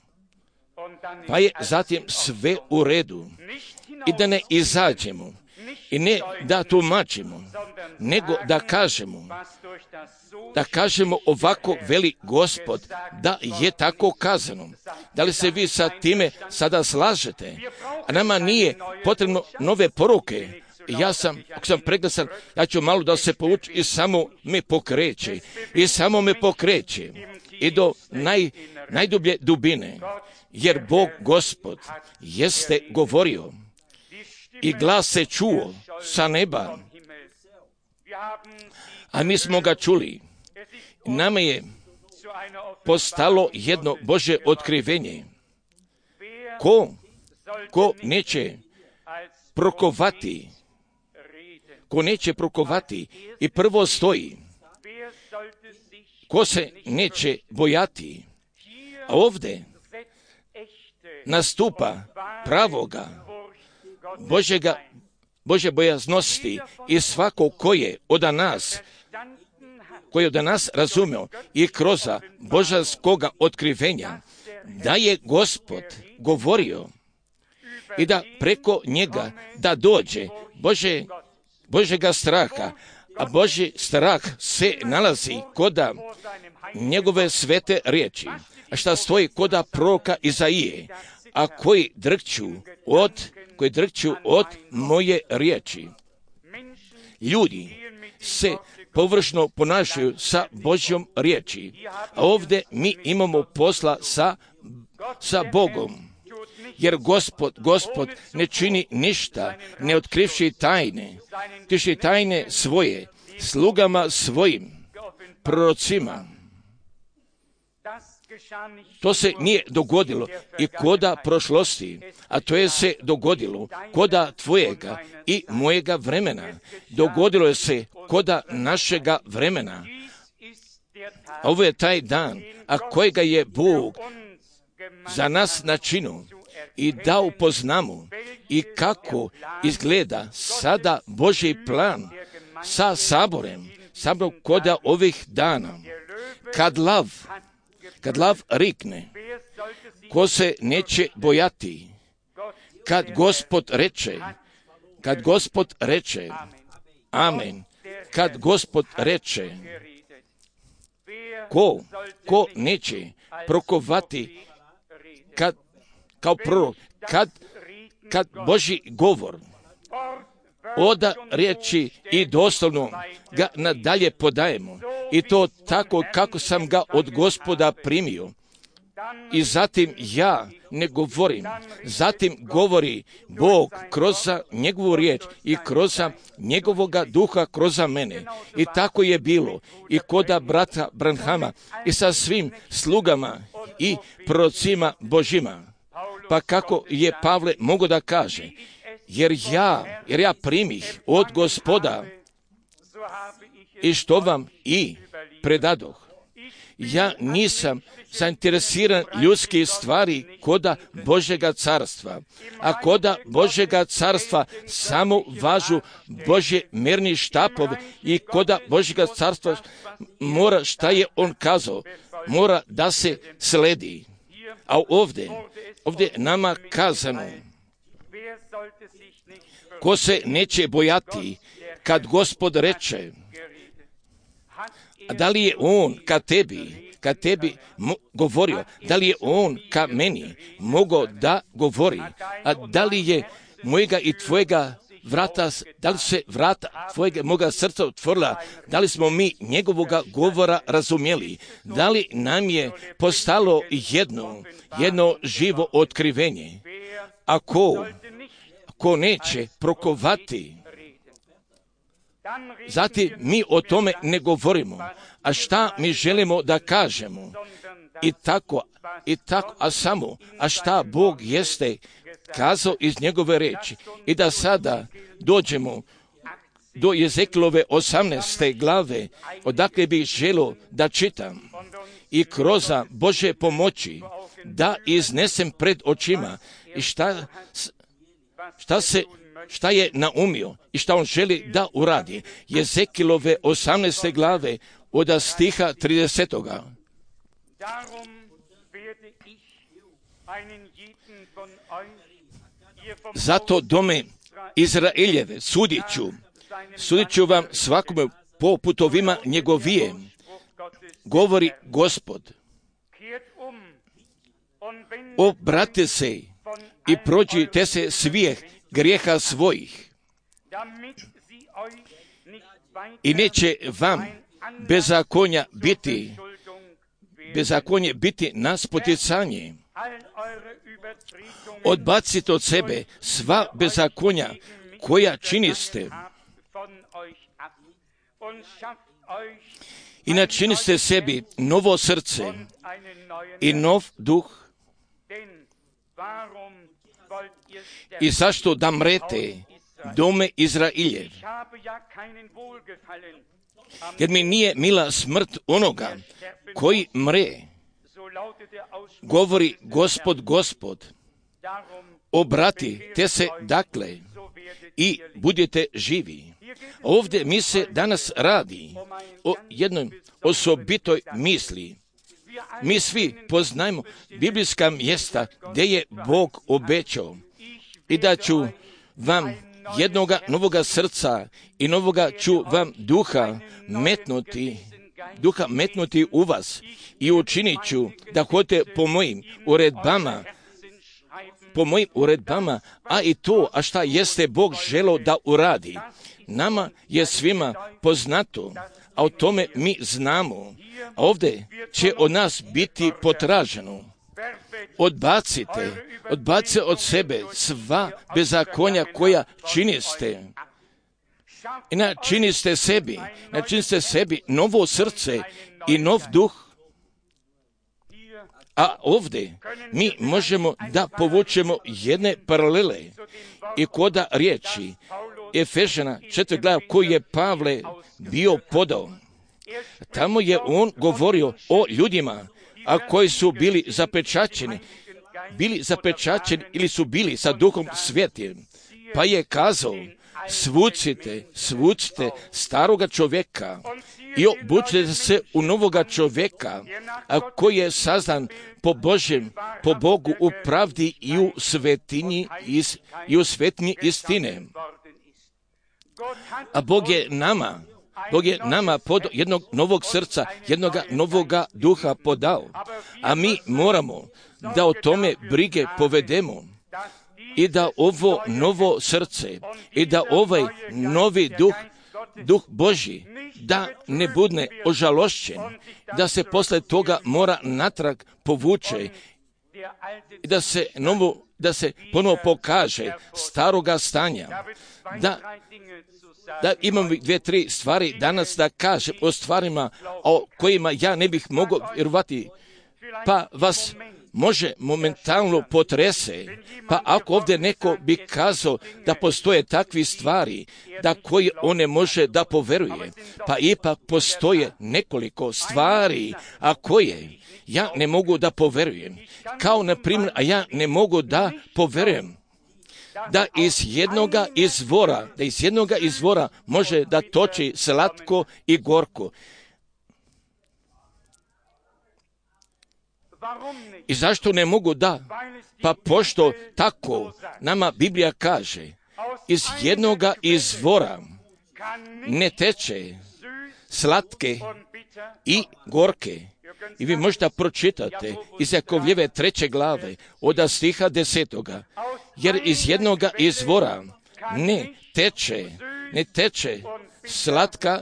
pa je zatim sve u redu i da ne izađemo i ne da tumačimo, nego da kažemo ovako veli Gospod, da je tako kazano. Da li se vi sa time sada slažete? A nama nije potrebno nove poruke. Ako sam preglasan, ja ću malo da se povučem i samo me pokreće. I do najdublje dubine. Jer Bog Gospod jeste govorio i glas se čuo sa neba. A mi smo ga čuli. Nama je postalo jedno Božje otkrivenje. Ko neće prorokovati? Ko neće prorokovati i prvo stoji, ko se neće bojati, a ovdje nastupa pravoga Božje bojaznosti i svako koji je od nas razumio i kroz božanskoga otkrivenja, da je Gospod govorio i da preko njega da dođe Božjega straha, a Božji strah se nalazi koda njegove svete riječi, a šta stoji koda proroka Izaije, a koji drhću od moje riječi. Ljudi se površno ponašaju sa Božjom riječi, a ovdje mi imamo posla sa Bogom. Jer Gospod ne čini ništa, ne otkrivši tajne svoje, slugama svojim, prorocima. To se nije dogodilo i koda prošlosti, a to je se dogodilo koda tvojega i mojega vremena. Dogodilo je se koda našega vremena. A ovo je taj dan, a kojega je Bog za nas načinio i da upoznamo i kako izgleda sada Božji plan sa saborem koda ovih dana. Kad lav rikne, ko se neće bojati, kad Gospod reče, amen, kad Gospod reče, ko neće prokovati kao prorok, kad Božji govor oda riječi i doslovno ga nadalje podajemo, i to tako kako sam ga od Gospoda primio. I zatim ja ne govorim, zatim govori Bog kroz njegovu riječ i kroz njegovoga duha kroz mene. I tako je bilo i koda brata Branhama i sa svim slugama i prorocima Božjima. Pa kako je Pavle mogao da kaže, jer ja primih od Gospoda i što vam i predadoh. Ja nisam zainteresiran ljudskih stvari koda Božjega carstva, a koda Božjega carstva samo važu Božje merni štapovi i koda Božjega carstva mora, šta je on kazao, mora da se sledi. A ovdje nama kazano, ko se neće bojati kad Gospod reče, a da li je on ka tebi govorio, da li je on ka meni mogao da govori, a da li je mojega i tvojega vrata, da li se vrata tvojega moga srca otvorila, da li smo mi njegovoga govora razumjeli, da li nam je postalo jedno živo otkrivenje. A ko neće prokovati, zatim mi o tome ne govorimo. A šta mi želimo da kažemo? I tako, a šta Bog jeste kazao iz njegove riječi. I da sada dođemo do Jezekilove 18. glave, odakle bih želio da čitam i kroz Božje pomoći da iznesem pred očima i šta je naumio i šta on želi da uradi. Jezekilove 18. glave od stiha 30. Zato dome Izraeljeve sudit ću vam svakome po putovima njegovije, govori Gospod. Obrate se i prođite se svih grijeha svojih i neće vam bezakonje biti na spoticanje. Odbacite od sebe sva bezakonja koja činiste i načiniste sebi novo srce i nov duh. I zašto da mrete, dome Izraeljev? Jer mi nije mila smrt onoga koji mre, govori Gospod. Obratite se dakle i budete živi. Ovdje mi se danas radi o jednoj osobitoj misli. Mi svi poznajemo biblijska mjesta gdje je Bog obećao. i da ću vam jednoga novoga srca i novoga ću vam duha metnuti u vas i učinit ću da hodite po mojim uredbama, a i to, a šta jeste Bog želeo da uradi. Nama je svima poznato, a o tome mi znamo. A ovdje će od nas biti potraženo. Odbacite od sebe sva bezakonja koja činiste. I načiniste sebi novo srce i nov duh. A ovdje mi možemo da povučemo jedne paralele i koda riječi Efežana 4. glava koju je Pavle bio podao. Tamo je on govorio o ljudima, a koji su bili zapečaćeni ili su bili sa Duhom Svetim. Pa je kazao, svucite staroga čovjeka i obučite se u novoga čovjeka, a koji je sazdan po Bogu u pravdi i u svetinji istine. A Bog je nama pod jednog novog srca, jednoga novoga duha podao. A mi moramo da o tome brige povedemo i da ovo novo srce i da ovaj novi duh Božji, da ne bude ožalošćen, da se posle toga mora natrag povuče i da se ponovo pokaže staroga stanja. Da imam 2-3 stvari danas da kažem o stvarima o kojima ja ne bih mogao vjerovati, pa vas može momentalno potrese. Pa ako ovdje neko bi kazao da postoje takvi stvari da koji on ne može da poveruje, pa ipak postoje nekoliko stvari, a koje ja ne mogu da poverujem. Kao na primjer, a ja ne mogu da poverujem da iz jednoga izvora može da toči slatko i gorko. I zašto ne mogu da? Pa pošto tako nama Biblija kaže, iz jednoga izvora ne teče slatke i gorke. I vi možete pročitati iz Jakovljeve 3. glave od stiha 10. Jer iz jednoga izvora ne teče slatka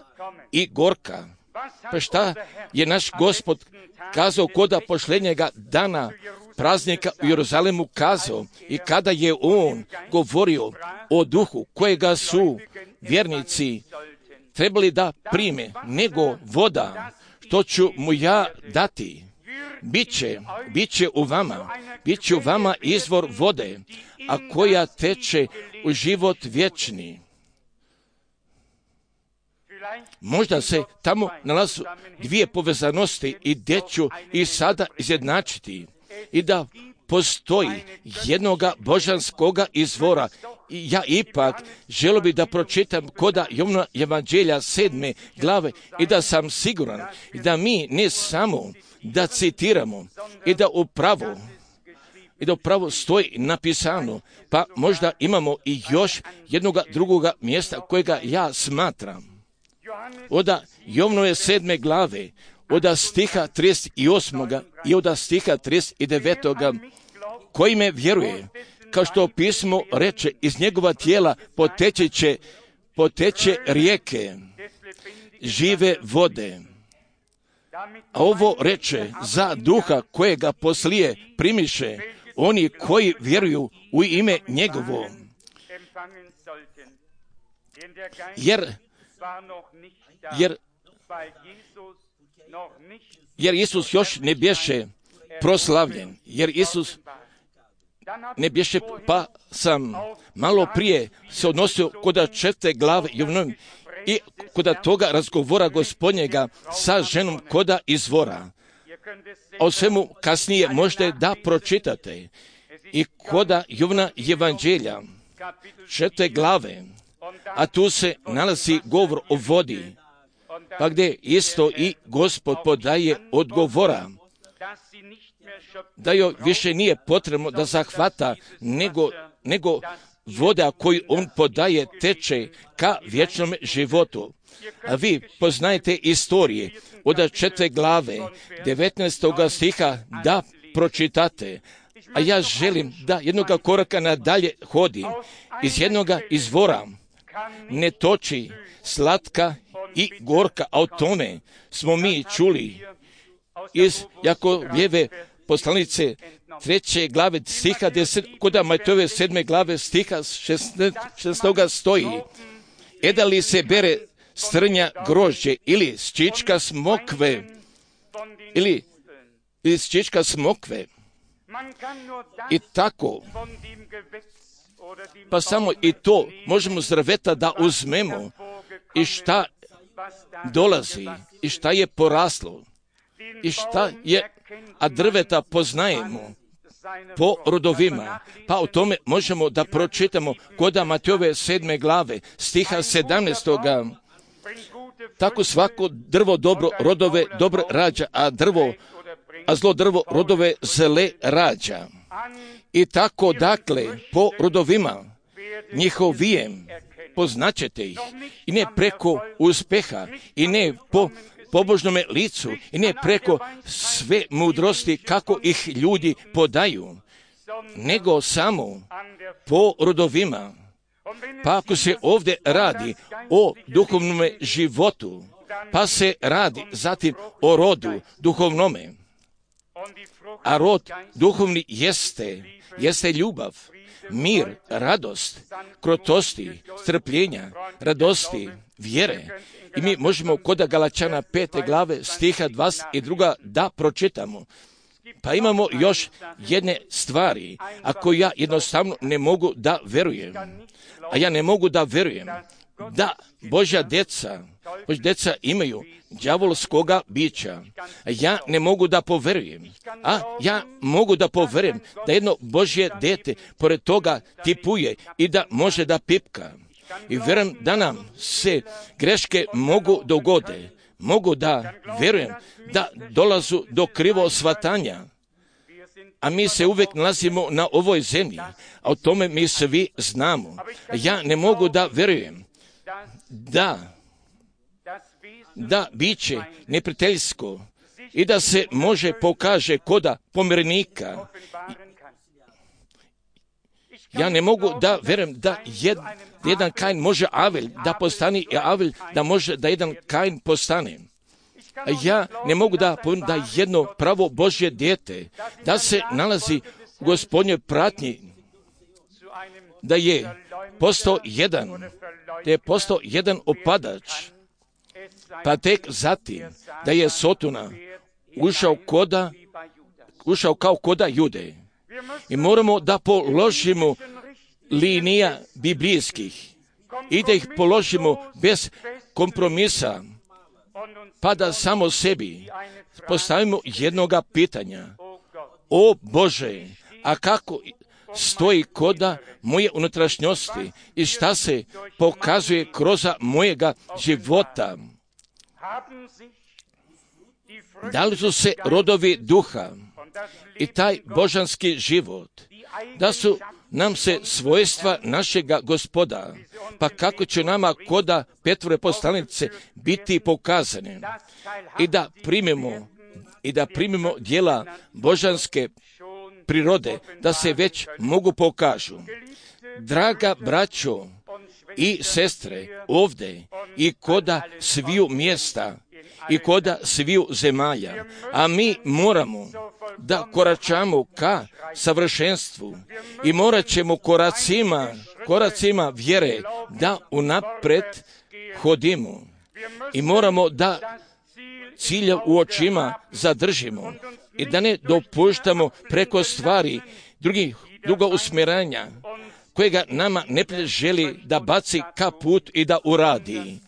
i gorka. Pa šta je naš Gospod kazao koda pošljenjega dana praznika u Jeruzalemu kazao i kada je on govorio o duhu kojega su vjernici trebali da prime, nego voda što ću mu ja dati, bit će u vama izvor vode, a koja teče u život vječni. Možda se tamo nalazu dvije povezanosti i gdje ću i sada izjednačiti i da postoji jednoga božanskoga izvora. I ja ipak želio bi da pročitam koda Jovana Evanđelja 7. glave i da sam siguran i da mi ne samo da citiramo i da upravo stoji napisano, pa možda imamo i još jednoga drugoga mjesta kojega ja smatram. Oda Jovanove 7. glave, oda stiha 38. i oda stiha 39. koji me vjeruje, kao što pismo reče, iz njegova tijela poteče rijeke žive vode. A ovo reče za duha kojega poslije primiše oni koji vjeruju u ime njegovo. Jer Isus još ne bješe proslavljen, jer Isus ne bješe, pa sam malo prije se odnosio koda 4. glave Jovanove i koda toga razgovora Gospodnjega sa ženom koda izvora. A o svemu kasnije možete da pročitate i koda Jovana Evanđelja 4. glave, a tu se nalazi govor o vodi, pa gdje isto i Gospod podaje odgovora, da joj više nije potrebno da zahvata, nego nego voda koju on podaje teče ka vječnom životu. A vi poznajete istorije od 4. glave 19. stiha da pročitate. A ja želim da jednoga koraka nadalje hodim. Iz jednoga izvora ne toči slatka i gorka, a o tome smo mi čuli iz Jakovljeve poslanice 3. glave stiha 10, kod Matejove 7. glave stiha 16. stoji: da li se bere strnja grožđe ili ščička smokve, ili ščička smokve, i tako. Pa samo i to možemo s drveta da uzmemo i šta dolazi i šta je poraslo i šta je, a drveta poznajemo po rodovima. Pa o tome možemo da pročitamo kod Matejove 7. glave stiha 17. Tako svako drvo dobro rodove dobro rađa, a zlo drvo rodove zle rađa. I tako, dakle, po rodovima njihovijem poznaćete ih, i ne preko uspeha, i ne po pobožnome licu, i ne preko sve mudrosti kako ih ljudi podaju, nego samo po rodovima. Pa ako se ovdje radi o duhovnom životu, pa se radi zatim o rodu duhovnome, a rod duhovni jeste ljubav, mir, radost, krotosti, strpljenja, radosti, vjere. I mi možemo kod Galačana 5. glave stiha 22. da pročitamo. Pa imamo još jedne stvari, ako ja jednostavno ne mogu da verujem. A ja ne mogu da verujem da Božja deca imaju đavolskoga bića. Ja ne mogu da poverujem. A ja mogu da poverujem da jedno Božje dete pored toga tipuje i da može da pipka. I vjerujem da nam se greške mogu dogode. Mogu da verujem da dolazu do krivo shvatanja. A mi se uvijek nalazimo na ovoj zemlji, a o tome mi svi znamo. Ja ne mogu da verujem da biće neprijateljsko i da se može pokaže koda pomirenika. Ja ne mogu da verujem da jedan Kain može Avel da postane i Avel da može da jedan Kain postane. Ja ne mogu da povjerujem da jedno pravo Božje dijete da se nalazi u Gospodnjoj pratnji, da je postao jedan opadač, pa tek zatim da je Sotona ušao kao koda Jude. I moramo da položimo linija biblijskih i da ih položimo bez kompromisa, pa da samo sebi postavimo jednoga pitanja: o Bože, a kako stoji koda moje unutrašnjosti i šta se pokazuje kroz mojega života? Da li su se rodovi duha i taj božanski život, da su nam se svojstva našega Gospoda, pa kako će nama koda Petrove poslanice biti pokazane i da primimo djela božanske prirode, da se već mogu pokažu. Draga braćo i sestre, ovdje i koda sviju mjesta i koda sviju zemalja, a mi moramo da koračamo ka savršenstvu i morat ćemo koracima vjere da unapred hodimo i moramo da cilja u očima zadržimo i da ne dopuštamo preko stvari drugo usmjeranja kojega nama neprijatelj želi da baci ka put i da uradi,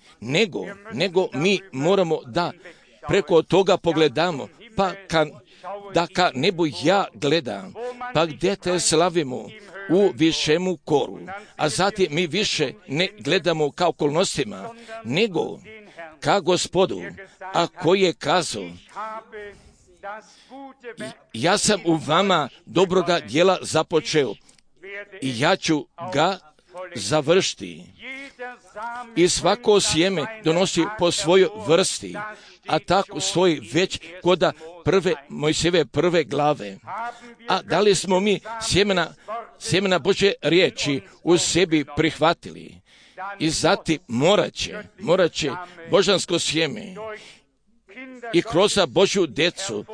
nego mi moramo da preko toga pogledamo, pa da ka nebu ja gledam, pa gdje te slavimo u višemu koru, a zatim mi više ne gledamo ka okolnostima, nego ka Gospodu, a koji je kazao: ja sam u vama dobroga djela započeo i ja ću ga završiti. I svako sjeme donosi po svojoj vrsti, a tako stoji već koda Mojsijeve prve glave. A da li smo mi sjemena Božje riječi u sebi prihvatili? I zatim morat će božansko sjeme i kroz Božju djecu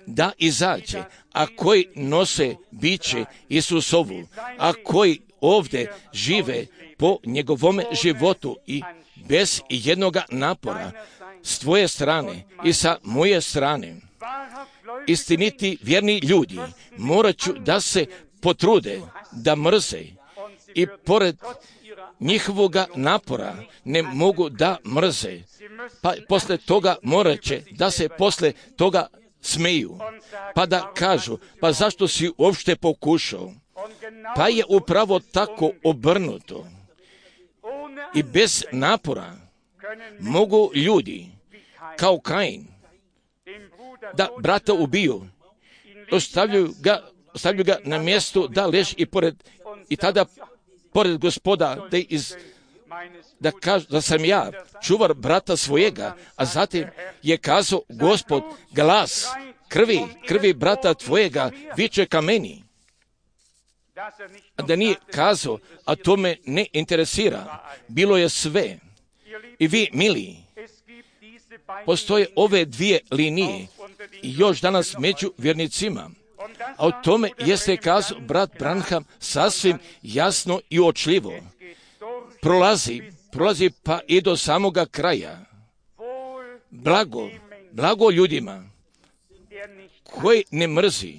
da izađe, a koji nose biće Isusovu, a koji ovdje žive po njegovom životu i bez jednoga napora s tvoje strane i sa moje strane. Istiniti vjerni ljudi morat ću da se potrude, da mrze i pored njihovoga napora ne mogu da mrze. Pa posle toga morat će da se posle toga smeju, pa da kažu, pa zašto si uopšte pokušao? Pa je upravo tako obrnuto. I bez napora mogu ljudi, kao Kain, da brata ubiju, ostavljaju ga na mjestu da leži i tada pored Gospoda da kažu da sam ja čuvar brata svojega, a zatim je kazao Gospod, glas krvi brata tvojega viče ka meni. A da nije kazao, a to me ne interesira, bilo je sve. I vi, mili, postoje ove dvije linije i još danas među vjernicima. A o tome jeste kazao brat Branham sasvim jasno i uočljivo. Prolazi pa i do samoga kraja. Blago ljudima koji ne mrzi,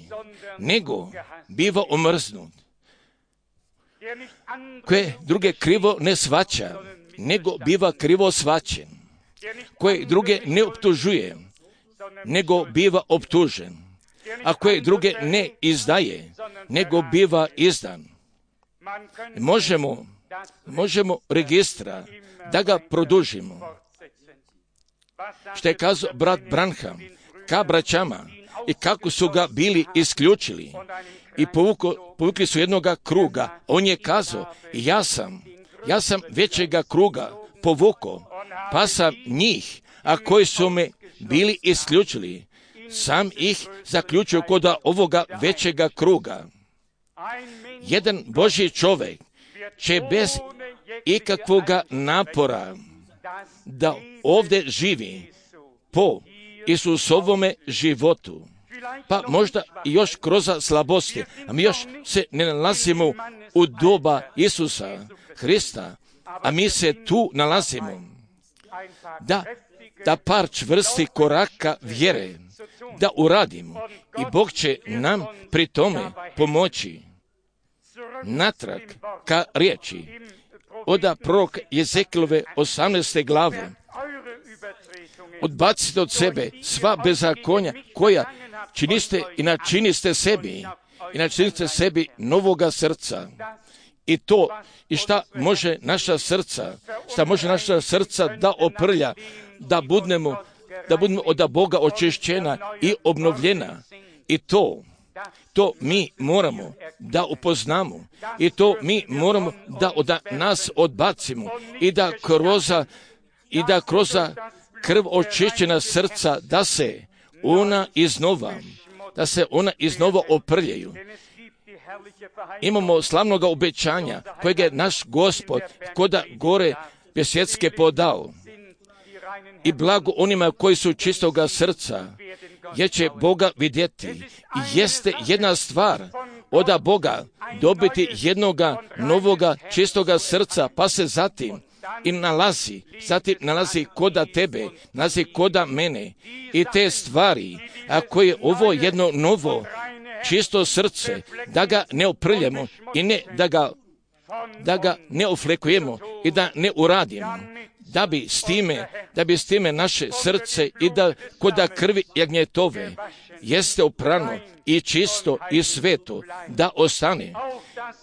nego biva omrznut, koje druge krivo ne svaća, nego biva krivo svaćen, koje druge ne optužuje, nego biva optužen, a koje druge ne izdaje, nego biva izdan. Možemo registra da ga produžimo. Što je kazao brat Branham ka braćama i kako su ga bili isključili i povukli su jednoga kruga. On je kazao, ja sam većega kruga povukao, pa sam njih, a koji su me bili isključili, sam ih zaključio kod ovoga većega kruga. Jedan Božji čovjek će bez ikakvoga napora da ovdje živi po Isusovome životu. Pa možda i još kroz slabosti, a mi još se ne nalazimo u doba Isusa Hrista, a mi se tu nalazimo. Da par čvrsti koraka vjere da uradimo i Bog će nam pri tome pomoći. Natrag ka riječi od proroka Jezekilove 18. glave. Odbacite od sebe sva bezakonja koja činiste i načiniste sebi novoga srca. I šta može naša srca da oprlja, da budemo od Boga očišćena i obnovljena. I to mi moramo da upoznamo i to mi moramo da od nas odbacimo i da kroz krv očišćena srca da se ona iznova oprljaju. Imamo slavnoga obećanja kojeg je naš Gospod koda gore svjetske podao. I blago onima koji su čistoga srca, jer će Boga vidjeti. I jeste jedna stvar od Boga dobiti jednoga novoga čistoga srca, pa se zatim nalazi koda tebe, nalazi koda mene. I te stvari, ako je ovo jedno novo čisto srce, da ga ne oprljemo i da ga ne oflekujemo i da ne uradimo, da bi s time naše srce i da koda krvi jagnjetove jeste oprano i čisto i sveto, da ostane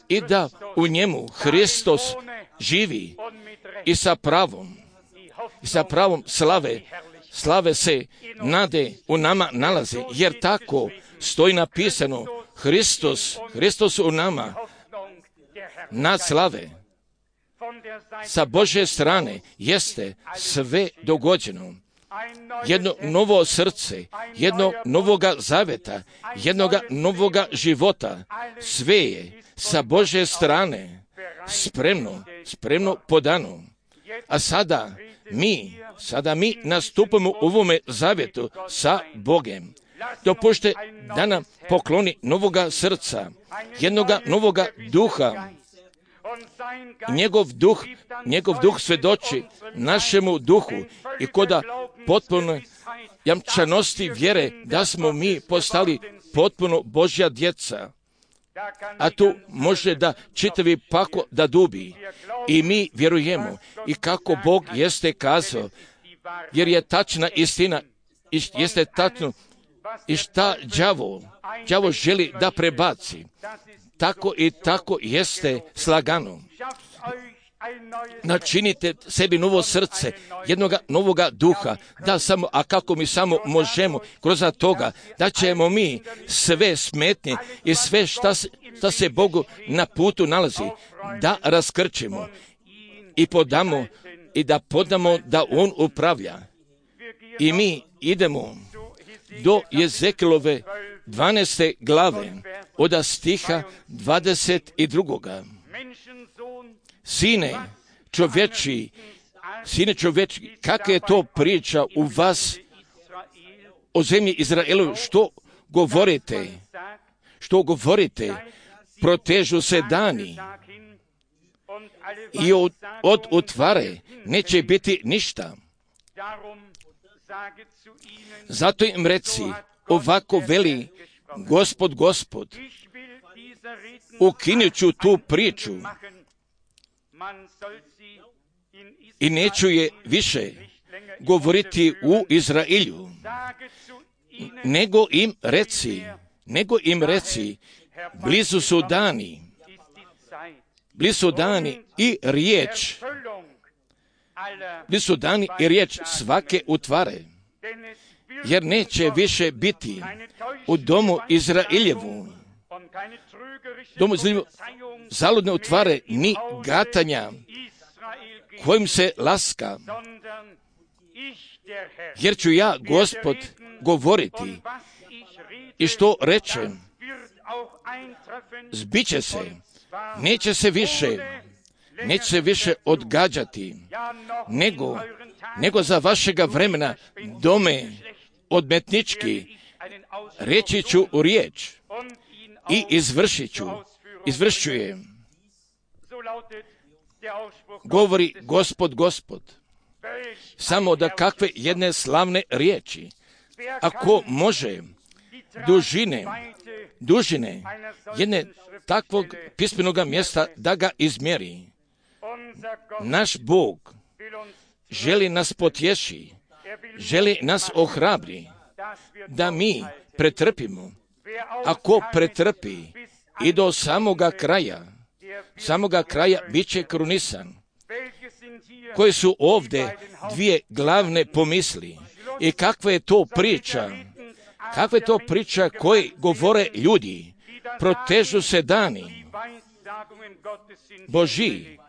i da u njemu Hristos živi i sa pravom slave se nade u nama nalazi, jer tako stoji napisano, Hristos u nama, nadslave. Sa Božje strane jeste sve dogođeno. Jedno novo srce, jednog novoga zaveta, jednoga novoga života, sve je sa Božje strane spremno podano. A sada mi nastupamo u ovome zavjetu sa Bogem. Dopušte da nam pokloni novoga srca, jednoga novoga duha. Njegov duh svjedoči našemu duhu i koda potpuno jamčanosti vjere da smo mi postali potpuno Božja djeca. A tu može da čitavi pako da dubi. I mi vjerujemo i kako Bog jeste kazao, jer je tačna istina, jeste tačno i šta đavo želi da prebaci. Tako i tako jeste slagano. Načinite sebi novo srce, jednoga novoga duha, a kako mi samo možemo kroz toga, da ćemo mi sve smetnje i sve šta se Bogu na putu nalazi, da raskrčimo i podamo da On upravlja. I mi idemo do Jezekilove 12. glave, od stiha 22. Sine čovječi, kakva je to priča u vas o zemlji Izraelu, što govorite, protežu se dani i od utvare neće biti ništa. Zato im reci, ovako veli Gospod, ukinut ću tu priču i neću je više govoriti u Izraelju, nego im reci, blizu su dani i riječ svake utvare, jer neće više biti u domu Izraeljevu zaludne utvare ni gatanja kojim se laska, jer ću ja, Gospod, govoriti i što rečem, zbiće se, neće se više odgađati, nego za vašega vremena dome odmetnički reći ću u riječ i izvršću je. Govori Gospod. Samo da kakve jedne slavne riječi. Ako može dužine jedne takvog pismenoga mjesta da ga izmjeri. Naš Bog želi nas potješi, želi nas ohrabri, da mi pretrpimo. Ako pretrpi i do samoga kraja bit će krunisan. Koje su ovdje dvije glavne pomisli i kakva je to priča koje govore ljudi, protežu se dani Božji,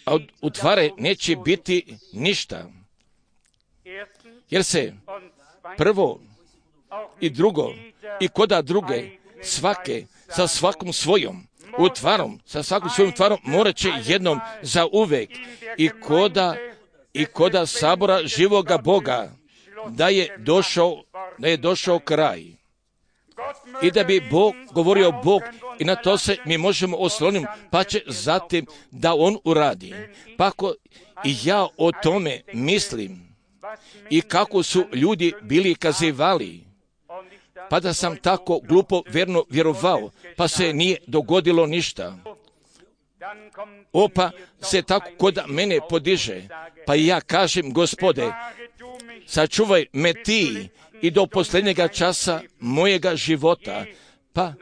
a od utvare neće biti ništa, jer se prvo i drugo i koda druge svake sa svakom svojom utvarom morat će jednom za uvek i koda sabora živoga Boga da je došao kraj. I da bi govorio Bog i na to se mi možemo osloniti, pa će zatim da On uradi. Pa ako i ja o tome mislim i kako su ljudi bili kazivali, pa da sam tako glupo verno vjerovao, pa se nije dogodilo ništa. Pa se tako kod mene podiže, pa i ja kažem, Gospode, sačuvaj me ti i do posljednjega časa mojega života, pa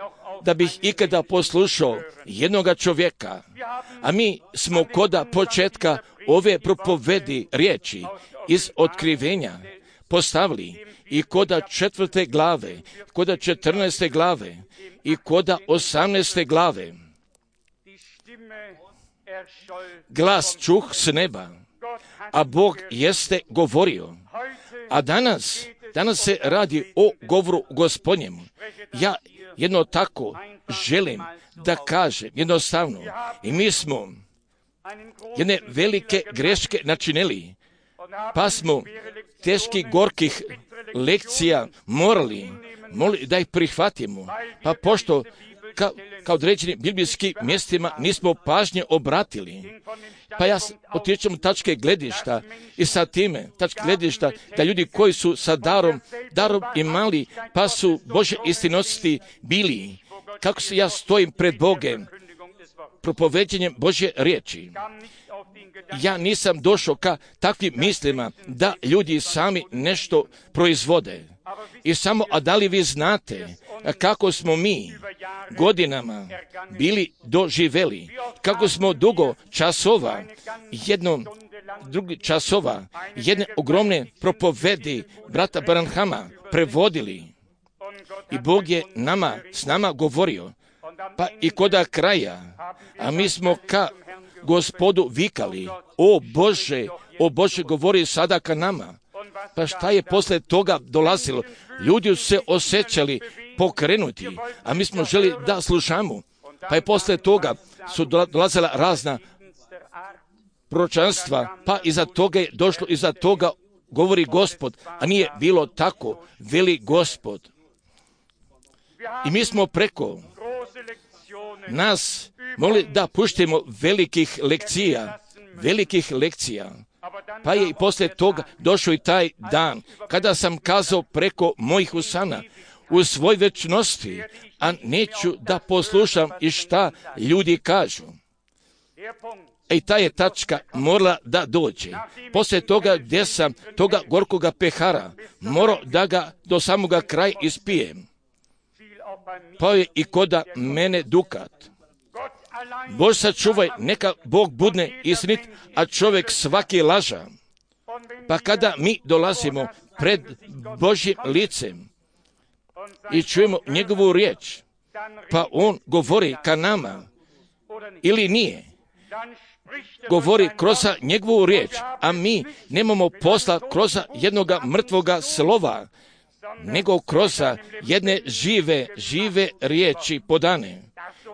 da bih ikada poslušao jednoga čovjeka. A mi smo koda početka ove propovedi riječi iz otkrivenja postavili i koda 4. glave, koda 14. glave i koda 18. glave. glas čuh s neba, a Bog jeste govorio. A danas se radi o govoru Gospodnjemu. Ja jedno tako želim da kažem, jednostavno. I mi smo jedne velike greške načinili, pa smo teških, gorkih lekcija morali da ih prihvatimo. Pa pošto kao određenim biblijskim mjestima nismo pažnje obratili, pa ja otičem tačke gledišta i sa time tačke gledišta da ljudi koji su sa darom imali, pa su Božje istinosti bili. Kako se ja stojim pred Bogem, propoveđenjem Božje riječi. Ja nisam došao ka takvim mislima da ljudi sami nešto proizvode. I samo, a da li vi znate kako smo mi godinama bili doživeli, kako smo dugo časova, jedne ogromne propovedi brata Branhama prevodili. I Bog je s nama govorio. Pa i koda kraja, a mi smo ka Gospodu vikali, o Bože, govori sada ka nama. Pa šta je posle toga dolazilo? Ljudi su se osjećali pokrenuti, a mi smo želi da slušamo. Pa je posle toga su dolazila razna proročanstva, pa iza toga je došlo, iza toga govori Gospod, a nije bilo tako, veli Gospod. I mi smo preko nas mogli da puštimo velikih lekcija. Pa je i poslije toga došao i taj dan, kada sam kazao preko mojih usana, u svoj večnosti, a neću da poslušam i šta ljudi kažu. I ta je tačka morala da dođe. Poslije toga gdje sam toga gorkoga pehara morao da ga do samoga kraja ispijem. Pa je i koda mene dukat. Bože sačuvaj, neka Bog budne istinit, a čovjek svaki laža. Pa kada mi dolazimo pred Božjim licem i čujemo njegovu riječ, pa on govori ka nama ili nije, govori kroz njegovu riječ, a mi nemamo posla kroz jednoga mrtvoga slova, nego kroz jedne žive riječi podane.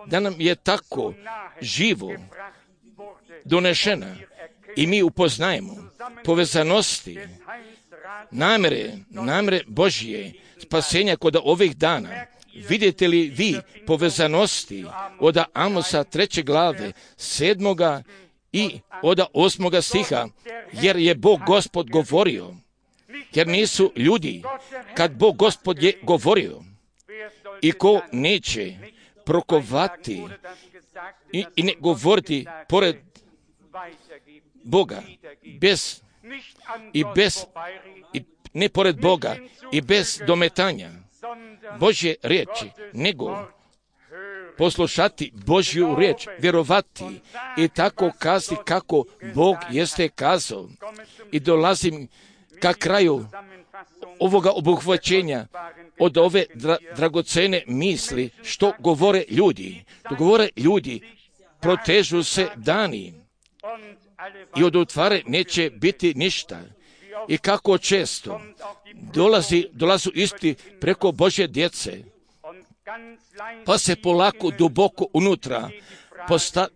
Da nam je tako živo donešena i mi upoznajemo povezanosti, namere Božje spasenja kod ovih dana. Vidite li vi povezanosti od Amosa 3. glave 7. i od 8. stiha, jer je Bog Gospod govorio, jer nisu ljudi, kad Bog Gospod je govorio, i ko neće prokovati i ne govoriti pored Boga, ne pored Boga i bez dometanja Božje riječi, nego poslušati Božju riječ, vjerovati i tako kazati kako Bog jeste kazao. I dolazim ka kraju ovoga obuhvaćenja od ove dragocene misli što govore ljudi. To govore ljudi, protežu se dani i od utvare neće biti ništa. I kako često dolazu isti preko Božje djece, pa se polako duboko unutra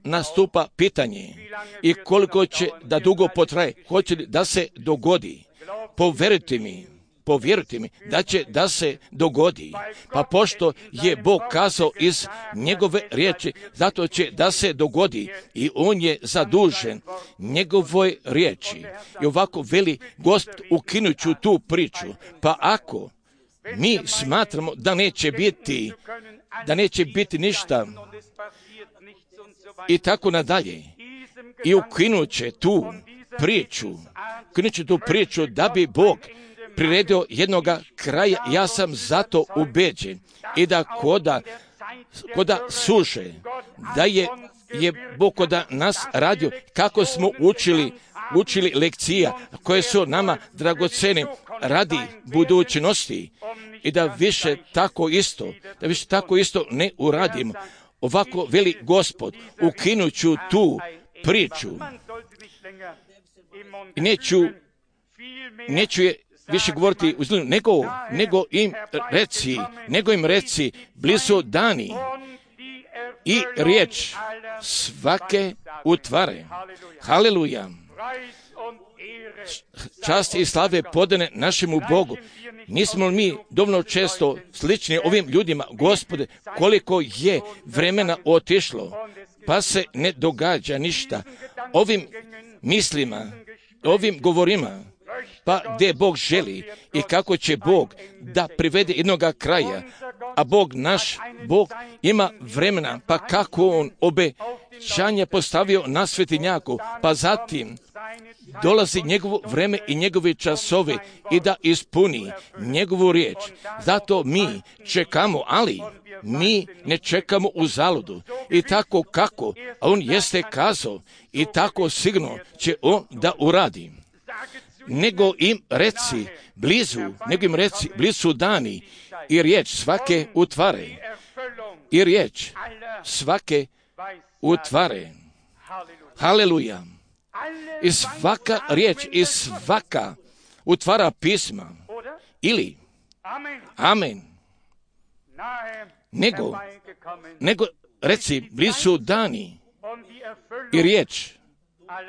nastupa pitanje i koliko će da dugo potraje, hoće li da se dogodi. Povjerujte mi da će da se dogodi. Pa pošto je Bog kazao iz njegove riječi, zato će da se dogodi i on je zadužen njegovoj riječi. I ovako veli Gospod, ukinut ću tu priču. Pa ako mi smatramo da neće biti ništa i tako nadalje, i ukinut će tu priču da bi Bog priredio jednoga kraja, ja sam zato ubeđen i da koda suše, da je Bog koda nas radio, kako smo učili lekcija koje su nama dragocene radi budućnosti i da više tako isto ne uradimo. ovako veli Gospod, ukinut ću tu priču i neću je više govoriti u zlu, nego im reci, blizu dani i riječ svake utvare. Haleluja! Čast i slave podane našemu Bogu. Nismo li mi dovoljno često slični ovim ljudima? Gospode, koliko je vremena otišlo, pa se ne događa ništa. Ovim mislima, ovim govorima, pa gdje Bog želi i kako će Bog da privede jednoga kraja, a Bog ima vremena, pa kako On obećanje postavio na svetinjaku, pa zatim dolazi njegovo vreme i njegove časove i da ispuni njegovu riječ. Zato mi čekamo, ali mi ne čekamo u zaludu. I tako kako, a On jeste kazao i tako sigurno će On da uradi. Nego im reci blizu dani i riječ svake utvare. I riječ svake utvare. Haleluja! I svaka riječ i svaka utvara pisma. Ili, amen. Nego reci blizu dani i riječ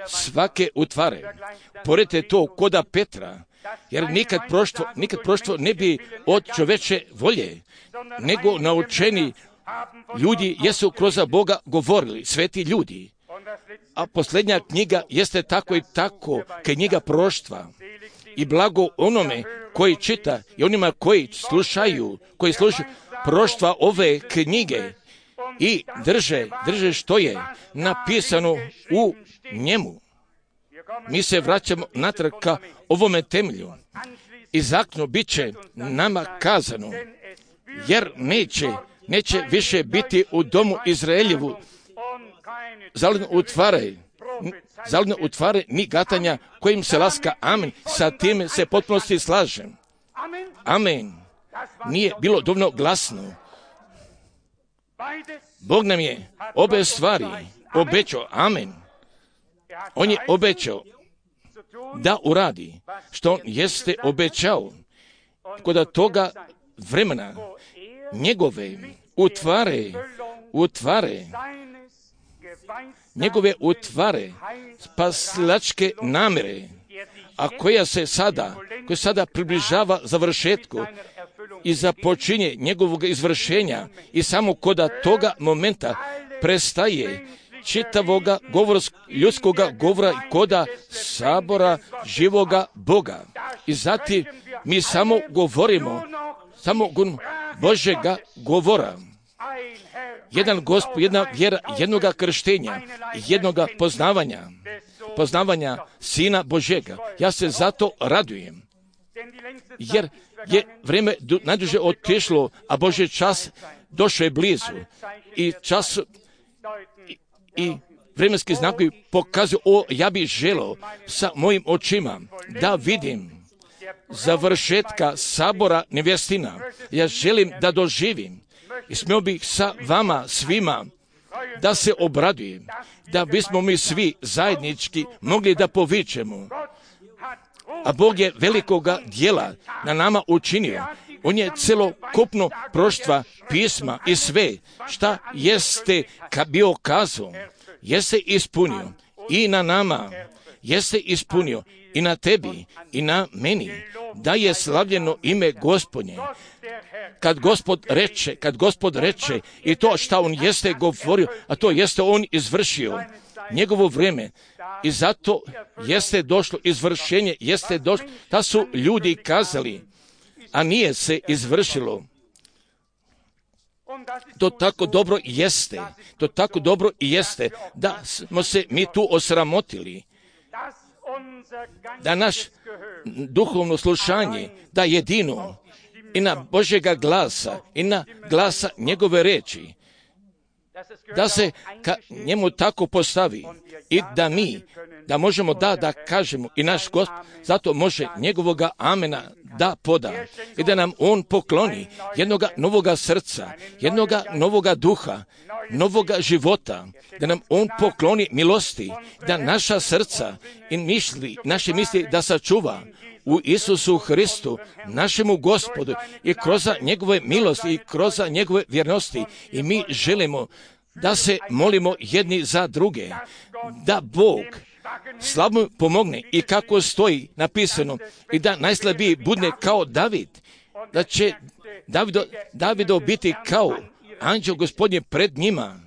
svake utvare. Poredite to koda Petra, jer nikad proštvo ne bi od čoveče volje, nego naučeni ljudi jesu kroz Boga govorili, sveti ljudi. A posljednja knjiga jeste tako i tako, knjiga proštva. I blago onome koji čita i onima koji slušaju proštva ove knjige i drže što je napisano u njemu. Mi se vraćamo natrag ka ovome temelju. I zakno bit će nama kazano, jer neće više biti u domu Izraeljevu zaludne utvare ni gatanja kojim se laska. Amen. Sa tim se potpunosti slažem. Amen. Nije bilo dovoljno glasno. Bog nam je obe stvari obećao. Amen. On je obećao da uradi što on jeste obećao. Kod toga vremena njegove utvare spasilačke namjere, a koja sada približava završetku i započinje njegovog izvršenja i samo kod toga momenta prestaje čitavoga ljudskoga govora i koda sabora živoga Boga. I zatim mi samo govorimo Božega govora. Jedan Gospod, jedna vjera, jednoga krštenja, jednoga poznavanja Sina Božega. Ja se zato radujem, jer je vrijeme najduže otišlo, a Božji čas došao je blizu. I čas i vremenski znakovi pokazuju, ja bih želio sa mojim očima da vidim završetka sabora nevjestina. Ja želim da doživim i smio bih sa vama svima da se obradujem, da bismo mi svi zajednički mogli da povičemo. A Bog je velikoga djela na nama učinio. On je celokupno proštva pisma i sve šta jeste bio kazao, jeste ispunio i na nama, jeste ispunio i na tebi i na meni, da je slavljeno ime Gospodnje. Kad Gospod reče i to šta on jeste govorio, a to jeste on izvršio njegovo vrijeme. I zato jeste došlo izvršenje, jeste došlo, da su ljudi kazali, a nije se izvršilo. To tako dobro jeste, da smo se mi tu osramotili, da naš duhovno slušanje, da jedino i na Božjega glasa i na glasa njegove reči, da se ka njemu tako postavi i da mi, da možemo da kažemo i naš Gospod, zato može njegovoga amena da poda i da nam on pokloni jednoga novoga srca, jednoga novoga duha, novoga života, da nam on pokloni milosti, da naša srca i naše misli da sačuva u Isusu Hristu, našemu Gospodu i kroz njegove milosti i kroz njegove vjernosti. I mi želimo da se molimo jedni za druge, da Bog slabom pomogne i kako stoji napisano i da najslabiji budne kao David, da će Davido biti kao anđeo Gospodnje pred njima.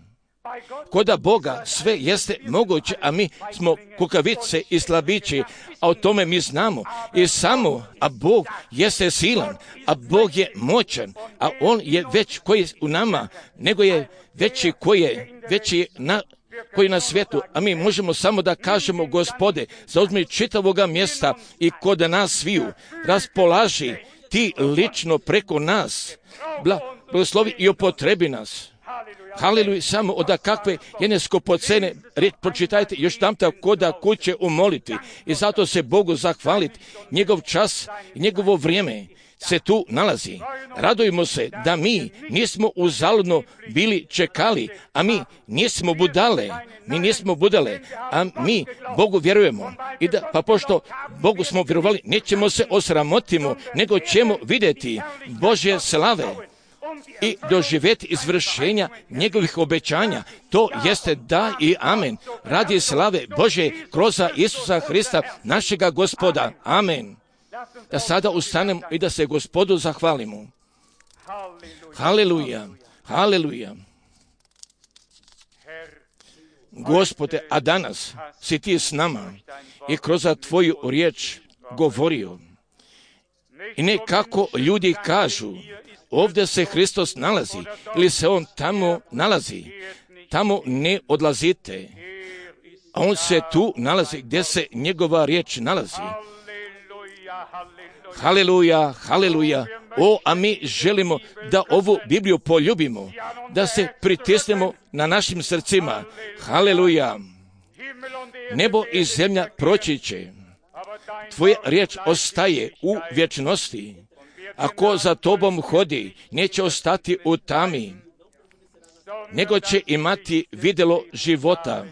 Koda Boga sve jeste moguće, a mi smo kukavice i slabići, a o tome mi znamo. A Bog jeste silan, a Bog je moćan, a On je već koji je u nama, nego je veći koji je na svijetu, a mi možemo samo da kažemo: Gospode, zauzmi čitavoga mjesta i kod nas sviju, raspolaži ti lično preko nas, blagoslovi i upotrebi nas. Haleluja, samo od kakve jedne skupocene, pročitajte još tam tako da kuće umoliti i zato se Bogu zahvaliti. Njegov čas i njegovo vrijeme se tu nalazi. Radujemo se da mi nismo uzaludno bili čekali, a mi nismo budale, a mi Bogu vjerujemo. I pa pošto Bogu smo vjerovali, nećemo se osramotimo, nego ćemo vidjeti Božje slave i doživjeti izvršenja njegovih obećanja. To jeste da i amen. Radi slave Bože kroz Isusa Hrista, našega Gospoda. Amen. Da sada ustanemo i da se Gospodu zahvalimo. Haleluja, haleluja. Gospode, a danas si ti s nama i kroz tvoju riječ govorio. I ne kako ljudi kažu, ovdje se Hristos nalazi ili se on tamo nalazi. Tamo ne odlazite, a on se tu nalazi gdje se njegova riječ nalazi. Haleluja, haleluja. A mi želimo da ovu Bibliju poljubimo, da se pritisnemo na našim srcima. Haleluja. Nebo i zemlja proći će, tvoja riječ ostaje u vječnosti. Ako za tobom hodi, neće ostati u tami, nego će imati vidjelo života.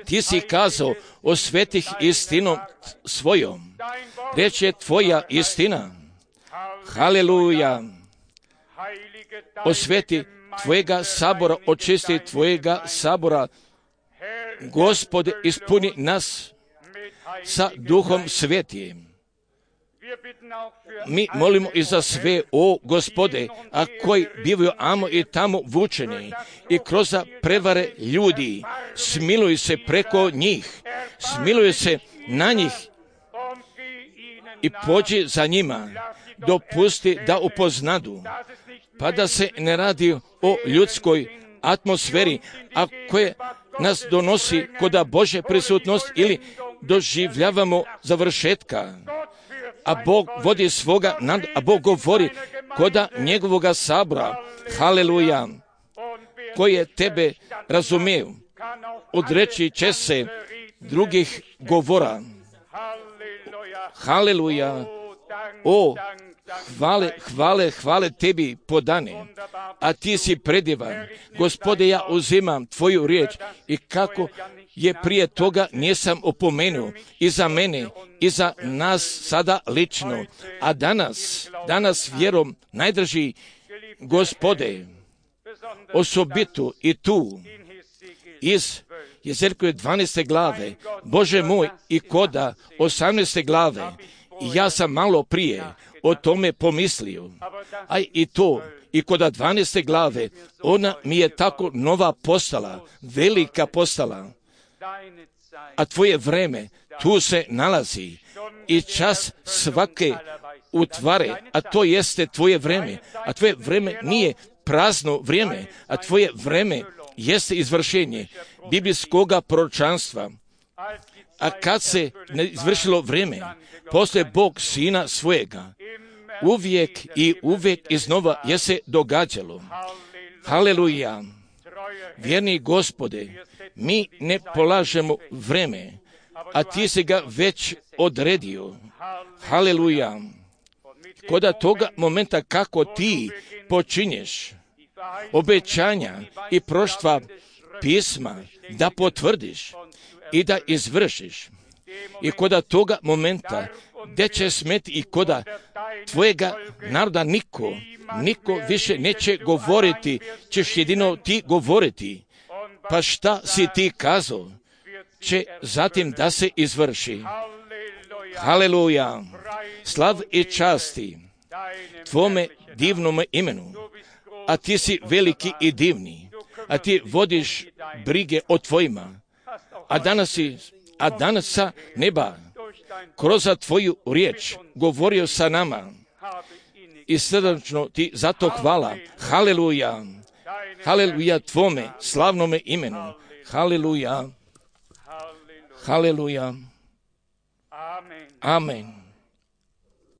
Ti si kazao o svetih istinom svojom. Riječ je tvoja istina. Haleluja. Osveti tvojega sabora, očisti tvojega sabora. Gospode, ispuni nas sa Duhom Svetim. Mi molimo i za sve, o Gospode, a koji bivaju amo i tamo vučeni i kroz prevare ljudi, smiluj se preko njih, smiluj se na njih i pođi za njima, dopusti da upoznadu, pa da se ne radi o ljudskoj atmosferi, a koje nas donosi kod Božje prisutnost ili doživljavamo završetka. A Bog vodi svoga, a Bog govori koda njegovoga sabora. Haleluja. Koje tebe razumiju, odreći će se drugih govora. Haleluja. Hvale tebi podane, a ti si predivan. Gospode, ja uzimam tvoju riječ i kako je prije toga nisam opomenuo i za mene i za nas sada lično, a danas vjerom najdraži Gospode, osobitu i tu iz Jezeljkove 12. glave, Bože moj, i koda 18. glave, ja sam malo prije o tome pomislio, a i to i koda 12. glave, ona mi je tako nova postala, velika postala, a tvoje vreme tu se nalazi i čas svake utvare, a to jeste tvoje vreme, a tvoje vreme nije prazno vrijeme, a tvoje vreme jeste izvršenje biblijskoga proročanstva. A kad se ne izvršilo vrijeme, poslije Bog sina svojega, uvijek iznova je se događalo. Haleluja. Vjerni Gospode, mi ne polažemo vreme, a ti si ga već odredio. Haleluja. Koda toga momenta kako ti počinješ obećanja i proštva pisma da potvrdiš i da izvršiš. I koda toga momenta gdje će smeti i koda tvojega naroda niko više neće govoriti, ćeš jedino ti govoriti. Pa šta si ti kazao, će zatim da se izvrši. Haleluja. Slav i časti tvome divnome imenu. A ti si veliki i divni. A ti vodiš brige o tvojima. A danas sa neba kroz tvoju riječ govorio sa nama. I srdačno ti zato hvala. Haleluja. Haleluja tvome slavnome imenu. Haleluja. Haleluja. Amen.